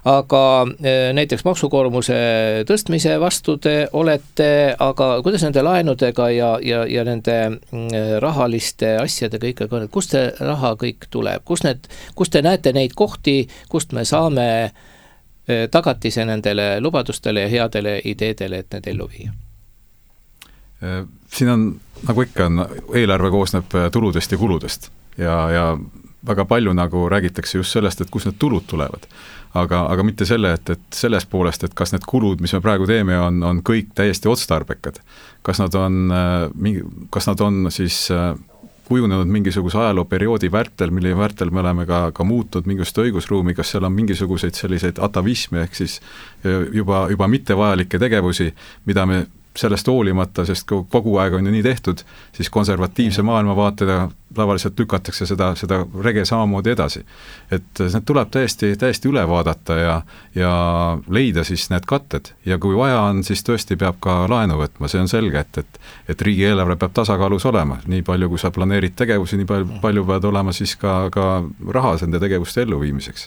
Speaker 2: aga näiteks maksukoormuse tõstmise vastu te olete, aga kuidas nende laenudega ja nende rahaliste asjadega ikkagi on, kust see raha kõik tuleb, kust te näete neid kohti, kust me saame tagatise nendele lubadustele ja headele ideedele, et need ellu viia?
Speaker 4: Siin on, nagu ikka on, eelarve koosneb tuludest ja kuludest ja väga palju nagu räägitakse just sellest, et kus need tulud tulevad. Aga mitte selle, et selles poolest, et kas need kulud, mis me praegu teeme, on kõik täiesti otstarbekad. Kas nad on siis kujunenud mingisuguse ajalooperioodi vältel, mille vältel me oleme ka muutnud mingisugust õigusruumi, kas seal on mingisuguseid selliseid atavisme ehk siis juba mittevajalikke tegevusi, mida me sellest hoolimata, sest kogu aeg on ju nii tehtud, siis konservatiivse maailmavaatega tavaliselt lükatakse seda rege samamoodi edasi. Et need tuleb täiesti üle vaadata ja leida siis need katted ja kui vaja on, siis tõesti peab ka laenu võtma, see on selge, et riigieelarve peab tasakaalus olema, nii palju kui sa planeerid tegevusi, nii palju peavad olema siis ka raha nende tegevuste elluviimiseks.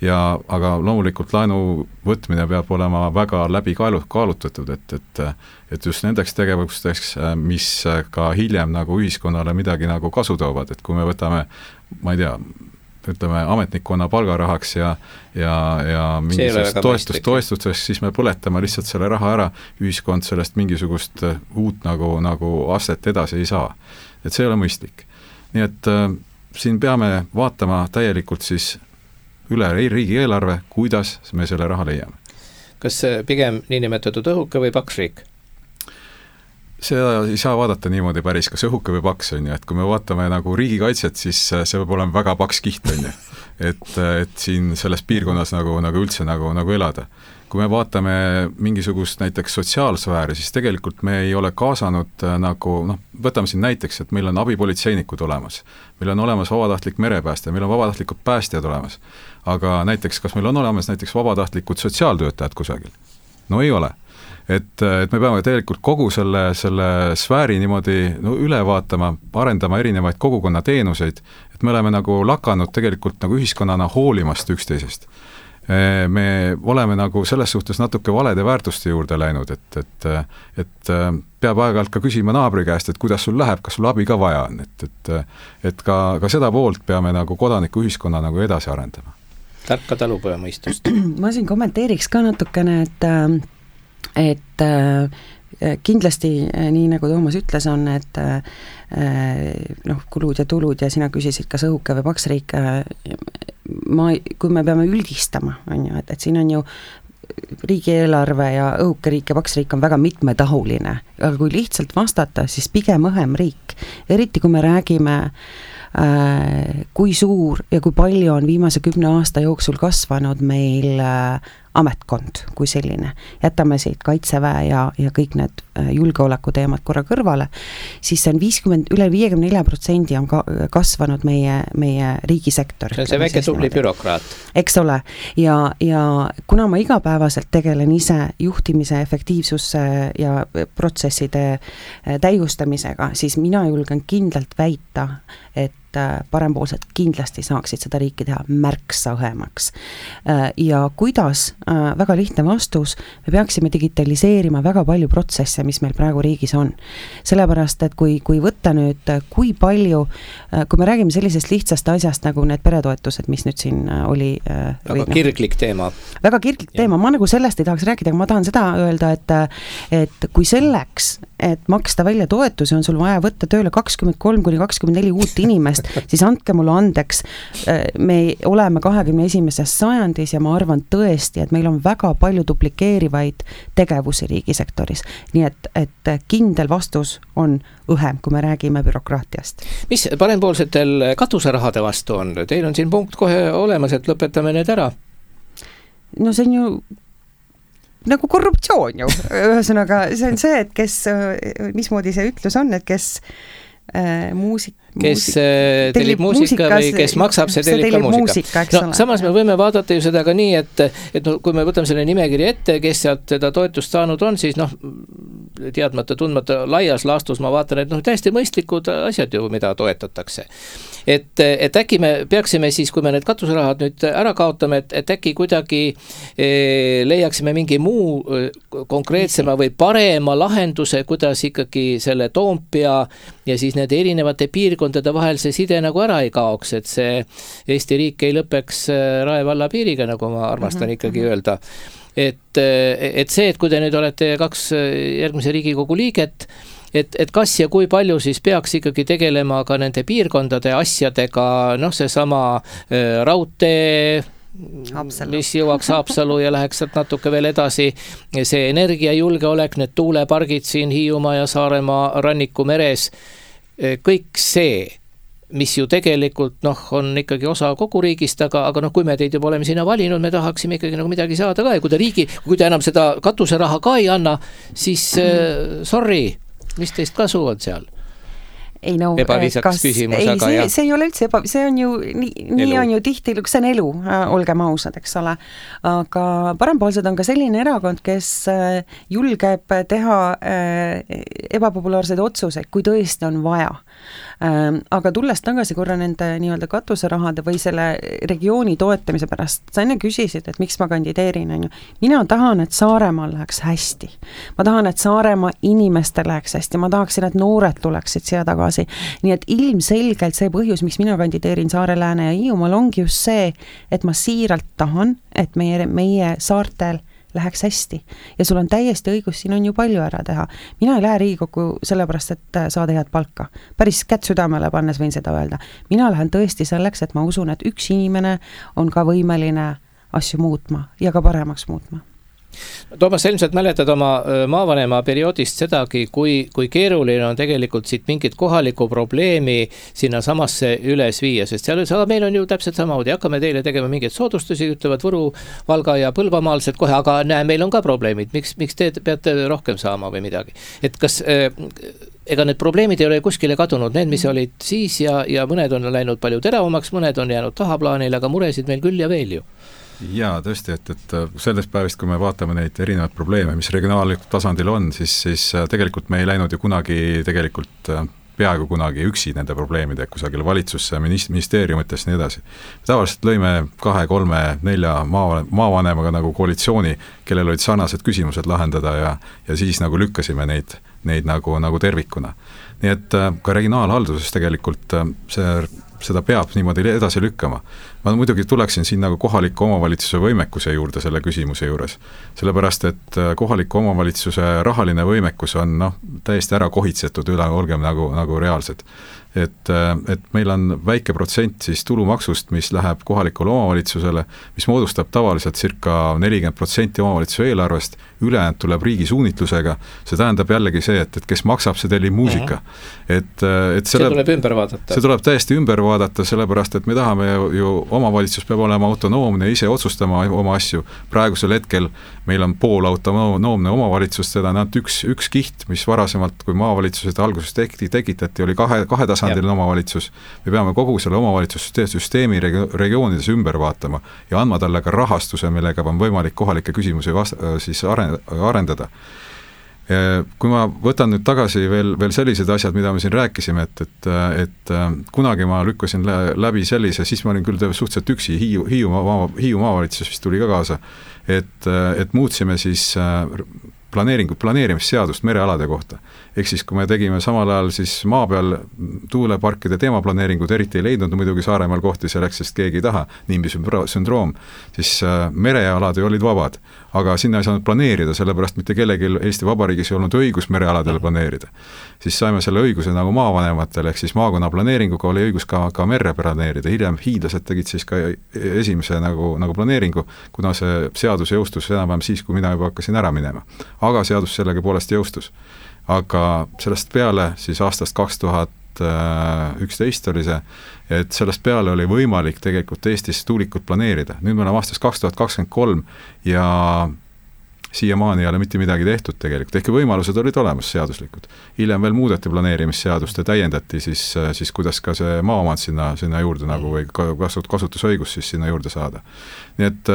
Speaker 4: Aga loomulikult laenu võtmine peab olema väga läbi kaalutatud, et just nendeks tegevusteks, mis ka hiljem nagu ühiskonnale midagi nagu kasu toovad, et kui me võtame, ma ei tea, ütleme ametnikkonna palgarahaks ja mingisugust toestusteks, siis me põletame lihtsalt selle raha ära, ühiskond sellest mingisugust uut nagu astet edasi ei saa. Et see ei ole mõistlik. Nii et siin peame vaatama täielikult siis üle riigieelarve, kuidas me selle raha leiame.
Speaker 2: Kas pigem niinimetatud õhuke või paks riik?
Speaker 4: Seda ei saa vaadata niimoodi päris, kas õhuke või paks on ju, et kui me vaatame nagu riigikaitset, siis see peab olema väga paks kiht on ju, et siin selles piirkonnas nagu üldse nagu elada. Kui me vaatame mingisugust näiteks sotsiaalsfääri, siis tegelikult me ei ole kaasanud nagu, võtame siin näiteks, et meil on abipolitseinikud olemas, meil on olemas vabatahtlik merepääste, meil on vabatahtlikud päästjad olemas, aga näiteks, kas meil on olemas näiteks vabatahtlikud sotsiaaltöötajad kusagil? No ei ole. Et me peame tegelikult kogu selle sfääri niimoodi üle vaatama, arendama erinevaid kogukonna teenuseid, et me oleme nagu lakanud tegelikult nagu ühiskonnana hoolimast üksteisest. Me oleme nagu selles suhtes natuke valede väärtuste juurde läinud, et peab aeg-ajalt ka küsima naabri käest, et kuidas sul läheb, kas sul abi ka vaja on, et ka seda poolt peame nagu kodaniku ühiskonna nagu edasi arendama.
Speaker 2: Tarka talupojamõistust.
Speaker 1: Ma siin kommenteeriks ka natukene, et kindlasti nii nagu Toomas ütles on, et kulud ja tulud ja sina küsisid, kas õhuke või paks riik, kui me peame üldistama, on ju, et siin on ju riigieelarve ja õhuke riik ja paks riik on väga mitmetahuline, aga kui lihtsalt vastata, siis pigem õhem riik, eriti kui me räägime kui suur ja kui palju on viimase 10 aasta jooksul kasvanud meil ametkond kui selline. Jätame siit kaitseväe ja kõik need julgeoleku teemad korra kõrvale, siis see on üle 54% on kasvanud meie riigisektor.
Speaker 2: See on see väike tubli bürokraat.
Speaker 1: Eks ole. Ja kuna ma igapäevaselt tegelen ise juhtimise efektiivsusse ja protsesside täiustamisega, siis mina julgen kindlalt väita, et parempoolsed kindlasti saaksid seda riiki teha märksa õhemaks. Ja kuidas, väga lihtne vastus, me peaksime digitaliseerima väga palju protsesse, mis meil praegu riigis on. Sellepärast, et kui võtta nüüd, kui palju, kui me räägime sellisest lihtsast asjast, nagu need peretoetused, mis nüüd siin oli
Speaker 2: väga kirglik teema.
Speaker 1: Väga kirglik teema, ma nagu sellest ei tahaks rääkida, aga ma tahan seda öelda, et kui selleks, et maksta välja toetusi, on sul vaja võtta tööle 23-24 uut inimest, siis andke mulle andeks, me oleme 21. sajandis ja ma arvan tõesti, et meil on väga palju duplikeerivaid tegevusi riigisektoris. Nii et kindel vastus on õhem, kui me räägime bürokraatiast.
Speaker 2: Mis parempoolsetel katuserahade vastu on? Teil on siin punkt kohe olemas, et lõpetame need ära.
Speaker 1: No see on ju nagu korruptsioon ju. Ühesõnaga, see on see, et kes, mismoodi see ütlus on, et kes
Speaker 2: kes tellib muusika või kes maksab, see tellib ka muusika. Samas me võime vaadata ju seda ka nii, et kui me võtame selle nimekiri ette, kes sealt seda toetust saanud on, siis teadmata, tundmata laias laastus ma vaatan, et täiesti mõistlikud asjad ju, mida toetatakse. Et äkki me peaksime siis, kui me need katuserahad nüüd ära kaotame, et äkki kuidagi leiaksime mingi muu konkreetsema või parema lahenduse, kuidas ikkagi selle Toompea ja siis need erinevate piirkondade vahel see side nagu ära ei kaoks, et see Eesti riik ei lõpeks Rae valla piiriga, nagu ma armastan ikkagi öelda. Et see, et kui te nüüd olete 2 järgmise Riigikogu liiget, et kas ja kui palju siis peaks ikkagi tegelema ka nende piirkondade asjadega, seesama raudtee,
Speaker 1: Haapsalu.
Speaker 2: Mis jõuaks Haapsalu ja läheks sealt natuke veel edasi, see energiajulgeolek, need tuulepargid siin Hiiumaa ja Saaremaa ranniku meres, kõik see, mis ju tegelikult on ikkagi osa kogu riigist, aga kui me teid juba oleme sinna valinud, me tahaksime ikkagi nagu midagi saada ka ja kui te enam seda katuseraha ka ei anna, siis sorry, mis teist kasu on seal?
Speaker 1: Ei no,
Speaker 2: ebaviisakas küsimus, aga jah.
Speaker 1: See ei ole üldse see on ju, nii on ju tihti, see on elu, olgem ausad, eks ole. Aga parempoolsed on ka selline erakond, kes julgeb teha ebapopulaarseid otsuseid, kui tõesti on vaja. Aga tulles tagasi korra nende nii-öelda katuserahade või selle regiooni toetamise pärast, sa enne küsisid, et miks ma kandideerin, on ju. Mina tahan, et Saaremaal läheks hästi. Ma tahan, et Saaremaa inimestel läheks hästi. Ma tahaksin, et noored tuleksid siia tagasi. Nii et ilmselgelt see põhjus, miks mina kandideerin Saare, Lääne ja Hiiumaal ongi just see, et ma siiralt tahan, et meie saartel läheks hästi. Ja sul on täiesti õigus, siin on ju palju ära teha. Mina ei lähe Riigikokku sellepärast, et saada head palka. Päris kätt südamele pannes võin seda öelda. Mina lähen tõesti selleks, et ma usun, et üks inimene on ka võimeline asju muutma ja ka paremaks muutma.
Speaker 2: Toomas, ilmselt mäletad oma maavanema perioodist sedagi, kui keeruline on tegelikult siit mingit kohalikku probleemi sinna samasse üles viia, sest seal aga meil on ju täpselt samamoodi, hakkame teile tegema mingeid soodustusi, ütlevad Võru, Valga ja Põlvamaalsed kohe, aga näe, meil on ka probleemid, miks te peate rohkem saama või midagi. Et kas ega need probleemid ei ole kuskile kadunud, need, mis olid siis ja mõned on läinud palju teravamaks, mõned on jäänud tahaplaanile, aga muresid meil küll ja veel ju.
Speaker 4: Jaa, tõesti, et sellest päevist, kui me vaatame neid erinevaid probleeme, mis regionaallikul tasandil on, siis tegelikult me ei läinud ju kunagi peaaegu kunagi üksi nende probleemide kusagil valitsusse, ministeeriumites ja nii edasi. Tavaliselt lõime 2, 3, 4 maavanemaga nagu koalitsiooni, kellel olid sarnased küsimused lahendada ja siis nagu lükkasime neid nagu tervikuna. Nii et ka regionaalhalduses tegelikult seda peab niimoodi edasi lükkama. Ma muidugi tuleksin siin nagu kohaliku omavalitsuse võimekuse juurde selle küsimuse juures. Sellepärast, et kohaliku omavalitsuse rahaline võimekus on täiesti ära kohitsetud üle, olgem nagu reaalsed. Et meil on väike protsent siis tulumaksust, mis läheb kohalikule omavalitsusele, mis moodustab tavaliselt circa 40% omavalitsuse eelarvest, ülejäänud tuleb riigi suunitlusega, see tähendab jällegi see, et kes maksab, see tellib muusika.
Speaker 2: See tuleb ümber vaadata.
Speaker 4: See tuleb täiesti ümber vaadata, sellepärast, et me tahame ju omavalitsus peab olema autonoomne, ise otsustama oma asju. Praegusel hetkel meil on pool autonoomne omavalitsus, seda on üks kiht, mis varasemalt, kui maavalitsused alguses tekitati, oli kahetasandil omavalitsus. Me peame kogu selle omavalitsussüsteemi regioonides ümber vaatama ja andma talle ka rahastuse, millega on võimalik kohalikke küsimusi siis arendada. Kui ma võtan nüüd tagasi veel sellised asjad, mida me siin rääkisime, et kunagi ma lükkasin läbi sellise, siis ma olin küll suhteliselt üksi, Hiiu maavalitsus vist tuli ka kaasa, et muutsime siis planeerimisseadust merealade kohta. Ehk siis, kui me tegime samal ajal siis maa peal tuuleparkide teemaplaneeringud, eriti ei leidnud muidugi Saaremaal kohti selleks, sest keegi ei taha, NIMBY sündroom, siis merealad olid vabad, aga sinna ei saanud planeerida, sellepärast mitte kellelgi Eesti Vabariigis ei olnud õigus merealadele planeerida. Siis saime selle õiguse nagu maavanematele, ehk siis maakonna planeeringuga oli õigus ka merre planeerida. Hiljem hiidlased tegid siis ka esimese nagu planeeringu, kuna see seadus jõustus enam-vähem siis, kui mina juba hakkasin ära minema. Aga seadus sellega poolest jõustus. Aga sellest peale, siis aastast 2011 oli see, et sellest peale oli võimalik tegelikult Eestis tuulikut planeerida. Nüüd me oleme aastast 2023 ja siiamaani ei ole mitte midagi tehtud tegelikult. Ehk võimalused olid olemas seaduslikud. Hiljem veel muudeti planeerimisseadust ja täiendati siis kuidas ka see maaomand sinna juurde nagu või kasutusõigus siis sinna juurde saada. Nii et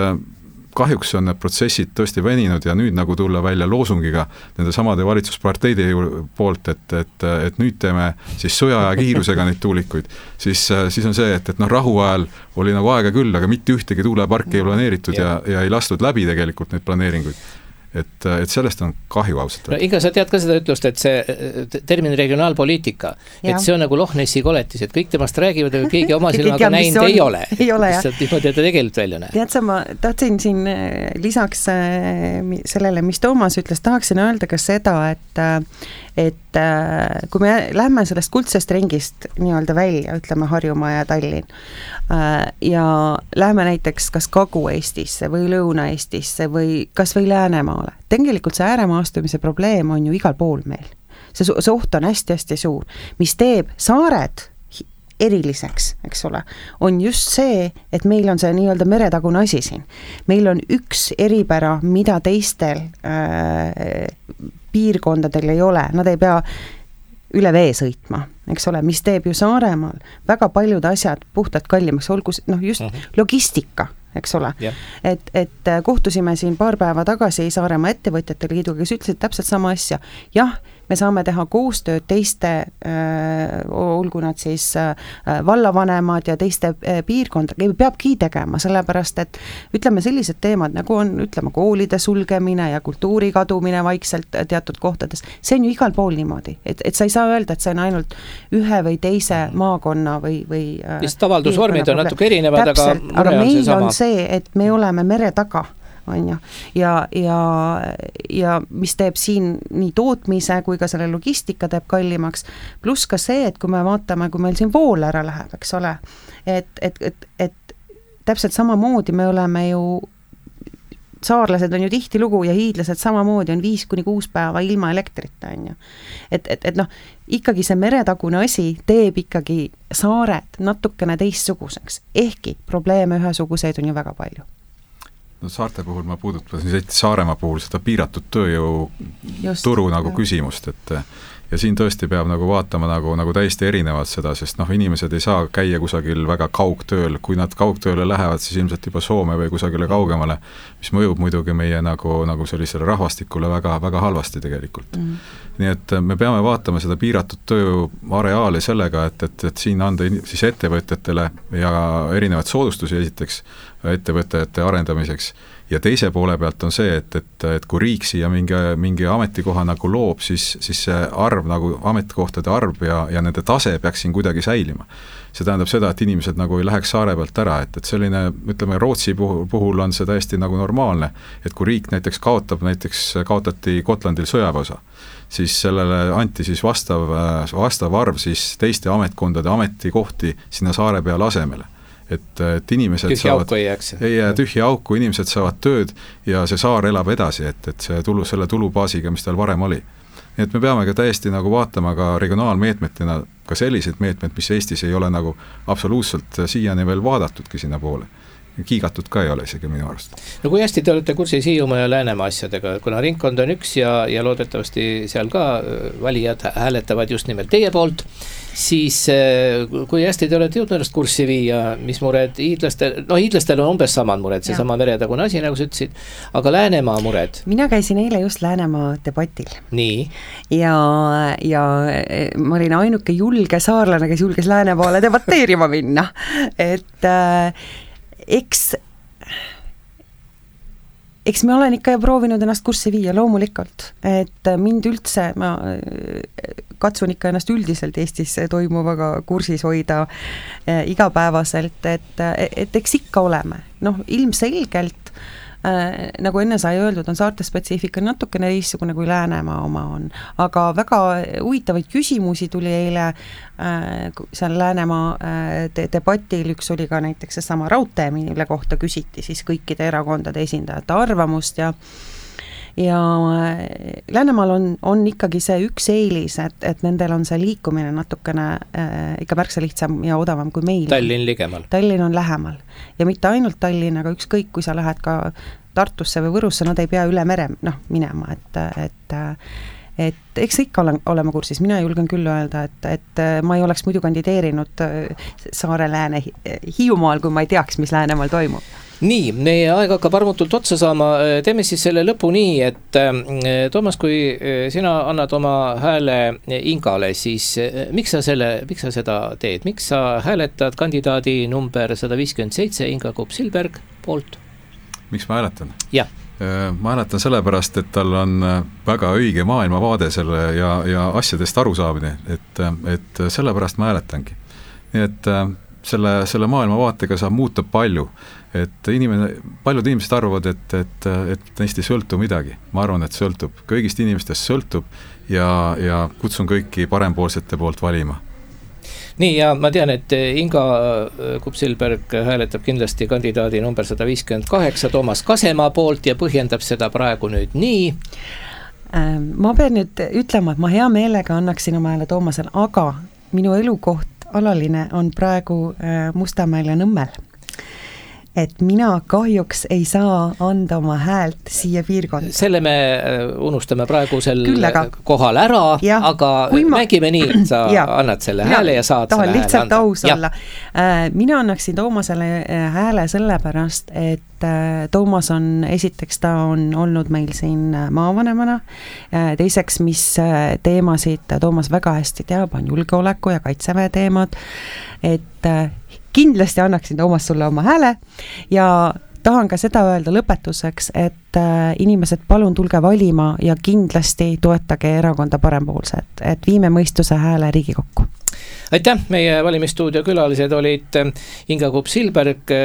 Speaker 4: kahjuks on need protsessid tõesti veninud ja nüüd nagu tulla välja loosungiga nende samade valitsusparteide poolt, et nüüd teeme siis sõja ja kiirusega neid tuulikuid, siis on see, et rahu ajal oli nagu aega küll, aga mitte ühtegi tuuleparki ei planeeritud ja ei lastud läbi tegelikult neid planeeringuid. Et sellest on kahju ausalt.
Speaker 2: No, Inga, sa tead ka seda ütlust, et see termin regionaalpoliitika, et see on nagu Loch Nessi koletis, et kõik temast räägivad, aga keegi oma silmaga näinud ei ole.
Speaker 1: Ei ole, jah.
Speaker 2: Niimoodi, et ta tegelikult välja näeb.
Speaker 1: Tead sa, ma tahtsin siin lisaks sellele, mis Toomas ütles, tahaksin öelda ka seda, et kui me lähme sellest kuldsest ringist nii-öelda välja, ütleme Harjumaa ja Tallinn, ja lähme näiteks kas Kagu-Eestisse või Lõuna-Eestisse või kas või Läänemaale. Tegelikult see ääremaastumise probleem on ju igal pool meil. see oht on hästi-hästi suur, mis teeb saared eriliseks, eks ole, on just see, et meil on see nii-öelda meretagune asi siin. Meil on üks eripära, mida teistel piirkondadel ei ole, nad ei pea üle vee sõitma, eks ole, mis teeb ju Saaremaal väga paljud asjad puhtalt kallimaks, olgu just logistika, eks ole. Et kohtusime siin paar päeva tagasi Saaremaa ettevõtjate liiduga, kes ütlesid täpselt sama asja. Jah, me saame teha koostööd teiste, olgu nad siis vallavanemad ja teiste piirkondadega, peabki tegema, sellepärast et ütleme sellised teemad, nagu on, ütleme, koolide sulgemine ja kultuuri kadumine vaikselt teatud kohtades, see on ju igal pool niimoodi, et sa ei saa öelda, et see on ainult ühe või teise maakonna või
Speaker 2: vist avaldusvormid on natuke erinevad,
Speaker 1: aga meil on see, et me oleme mere taga, on ju, ja mis teeb siin nii tootmise kui ka selle logistika teeb kallimaks, pluss ka see, et kui me vaatame, kui meil siin vool ära läheb, eks ole, et täpselt samamoodi me oleme ju, saarlased on ju tihtilugu ja hiidlased samamoodi on 5-6 päeva ilma elektrita, on ju. Et noh, ikkagi see meretagune asi teeb ikkagi saared natukene teistsuguseks, ehkki probleeme ühesuguseid on ju väga palju.
Speaker 4: No saarte puhul ma puudutasin Saaremaa puhul seda piiratud tööjõu turu nagu küsimust, et ja siin tõesti peab nagu vaatama nagu täiesti erinevad seda, sest inimesed ei saa käia kusagil väga kaugtööl, kui nad kaugtööle lähevad, siis ilmselt juba Soome või kusagile kaugemale, mis mõjub muidugi meie nagu sellisele rahvastikule väga, väga halvasti tegelikult. Nii et me peame vaatama seda piiratud tööjõu areaali sellega, et siin anda siis ettevõtjatele ja erinevad soodustusi esiteks ettevõtete arendamiseks ja teise poole pealt on see, et kui riik siia mingi ametikoha nagu loob, siis see arv nagu ametikohtade arv ja nende tase peaks siin kuidagi säilima. See tähendab seda, et inimesed nagu ei läheks saare pealt ära, et selline, ütleme, Rootsi puhul on see täiesti nagu normaalne, et kui riik näiteks kaotati Gotlandil sõjaväeosa, siis sellele anti siis vastav arv siis teiste ametkondade ametikohti sinna saare peale asemele. Et inimesed
Speaker 2: ei
Speaker 4: jää tühja auku, inimesed saavad tööd ja see saar elab edasi, et selle tulubaasiga, mis tal varem oli. Nii et me peame ka täiesti nagu vaatama ka regionaalmeetmetena ka sellised meetmed, mis Eestis ei ole nagu absoluutselt siiani veel vaadatudki sinna poole. Kiigatud ka ei ole isegi minu arust.
Speaker 2: No kui hästi te olete kursis Hiiumaa ja Läänemaa asjadega, kuna ringkond on üks ja loodetavasti seal ka valijad hääletavad just nimelt teie poolt, siis kui hästi te olete jõudnud ennast kurssi viia, mis mured hiidlastel on umbes samad mured, see sama meretagune asi, nagu sa ütlesid, aga Läänemaa mured?
Speaker 1: Mina käisin eile just Läänemaa debatil.
Speaker 2: Nii?
Speaker 1: Ja ma olin ainuke julge saarlane, kes julges Läänemaale debateerima minna, et eks me olen ikka proovinud ennast kurssi viia loomulikult, et mind üldse, ma katsun ikka ennast üldiselt Eestis toimuvaga kursis hoida igapäevaselt, et eks ikka oleme. Ilmselgelt, nagu enne sai öeldud, on saarte spetsiifika natukene teistsugune kui Läänemaa oma on, aga väga huvitavaid küsimusi tuli eile seal Läänemaa debatil, üks oli ka näiteks see sama raudtee, mille kohta küsiti siis kõikide erakondade esindajate arvamust ja Läänemaal on ikkagi see üks eelis, et nendel on see liikumine natukene ikka märksa lihtsam ja odavam kui meil.
Speaker 2: Tallinn ligemal.
Speaker 1: Tallinn on lähemal. Ja mitte ainult Tallinn, aga ükskõik, kui sa lähed ka Tartusse või Võrusse, nad ei pea üle mere minema, et eks ikka olema kursis. Mina julgen küll öelda, et ma ei oleks muidu kandideerinud Saare Lääne Hiiumaal, kui ma ei teaks, mis Läänemaal toimub.
Speaker 2: Nii, meie aeg hakkab armutult otsa saama, teeme siis selle lõpu nii, et Toomas, kui sina annad oma hääle Ingale, siis miks sa seda teed? Miks sa hääletad kandidaadi number 157 Inga Kopp-Silberg poolt?
Speaker 4: Miks ma hääletan?
Speaker 2: Jah.
Speaker 4: Ma hääletan sellepärast, et tal on väga õige maailmavaade selle ja asjadest arusaamine, et sellepärast ma hääletangi. Nii et selle maailmavaatega saab muuta palju, et paljud inimesed arvavad, et neist ei sõltu midagi. Ma arvan, et sõltub. Kõigist inimestest sõltub ja kutsun kõiki parempoolsete poolt valima.
Speaker 2: Nii, ja ma tean, et Inga Kopp-Silberg hääletab kindlasti kandidaadi number 158 Toomas Kasemaa poolt ja põhjendab seda praegu nüüd nii.
Speaker 1: Ma pean nüüd ütlema, et ma hea meelega annaksin oma hääle Toomasele, aga minu elukoht alaline on praegu Mustamäel ja Nõmmel. Et mina kahjuks ei saa anda oma häält siia piirkonda.
Speaker 2: Selle me unustame praegusel kohal ära, aga mängime nii, et sa annad selle hääle ja saad selle hääle
Speaker 1: lihtsalt anda. Aus olla. Mina annaksin Toomasele hääle sellepärast, et Toomas on, esiteks ta on olnud meil siin maavanemana, teiseks, mis teemasid Toomas väga hästi teab, on julgeoleku ja kaitseväe teemad, et kindlasti annaksin Toomas sulle oma hääle ja tahan ka seda öelda lõpetuseks, et inimesed palun tulge valima ja kindlasti toetage erakonda Parempoolsed, et viime mõistuse hääle Riigikokku.
Speaker 2: Aitäh, meie valimisstuudio külalised olid Inga Kupp-Silberg,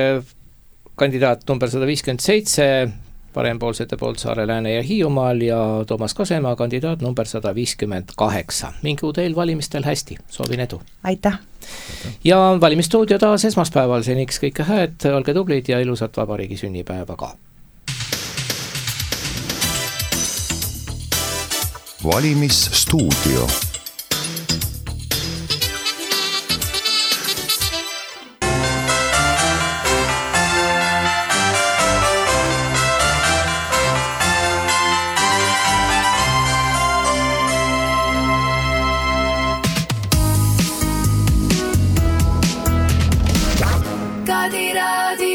Speaker 2: kandidaat number 157, Parempoolsete poolt Saare, Lääne ja Hiiumaal ja Toomas Kasemaa, kandidaat number 158. Mingu teil valimistel hästi, soovin edu.
Speaker 1: Aitäh!
Speaker 2: Ja valimisstuudio taas esmaspäeval, seniks kõike hääd, olge tublid ja ilusat vabariigi sünnipäeva ka!
Speaker 5: Valimisstuudio.
Speaker 6: Raadio.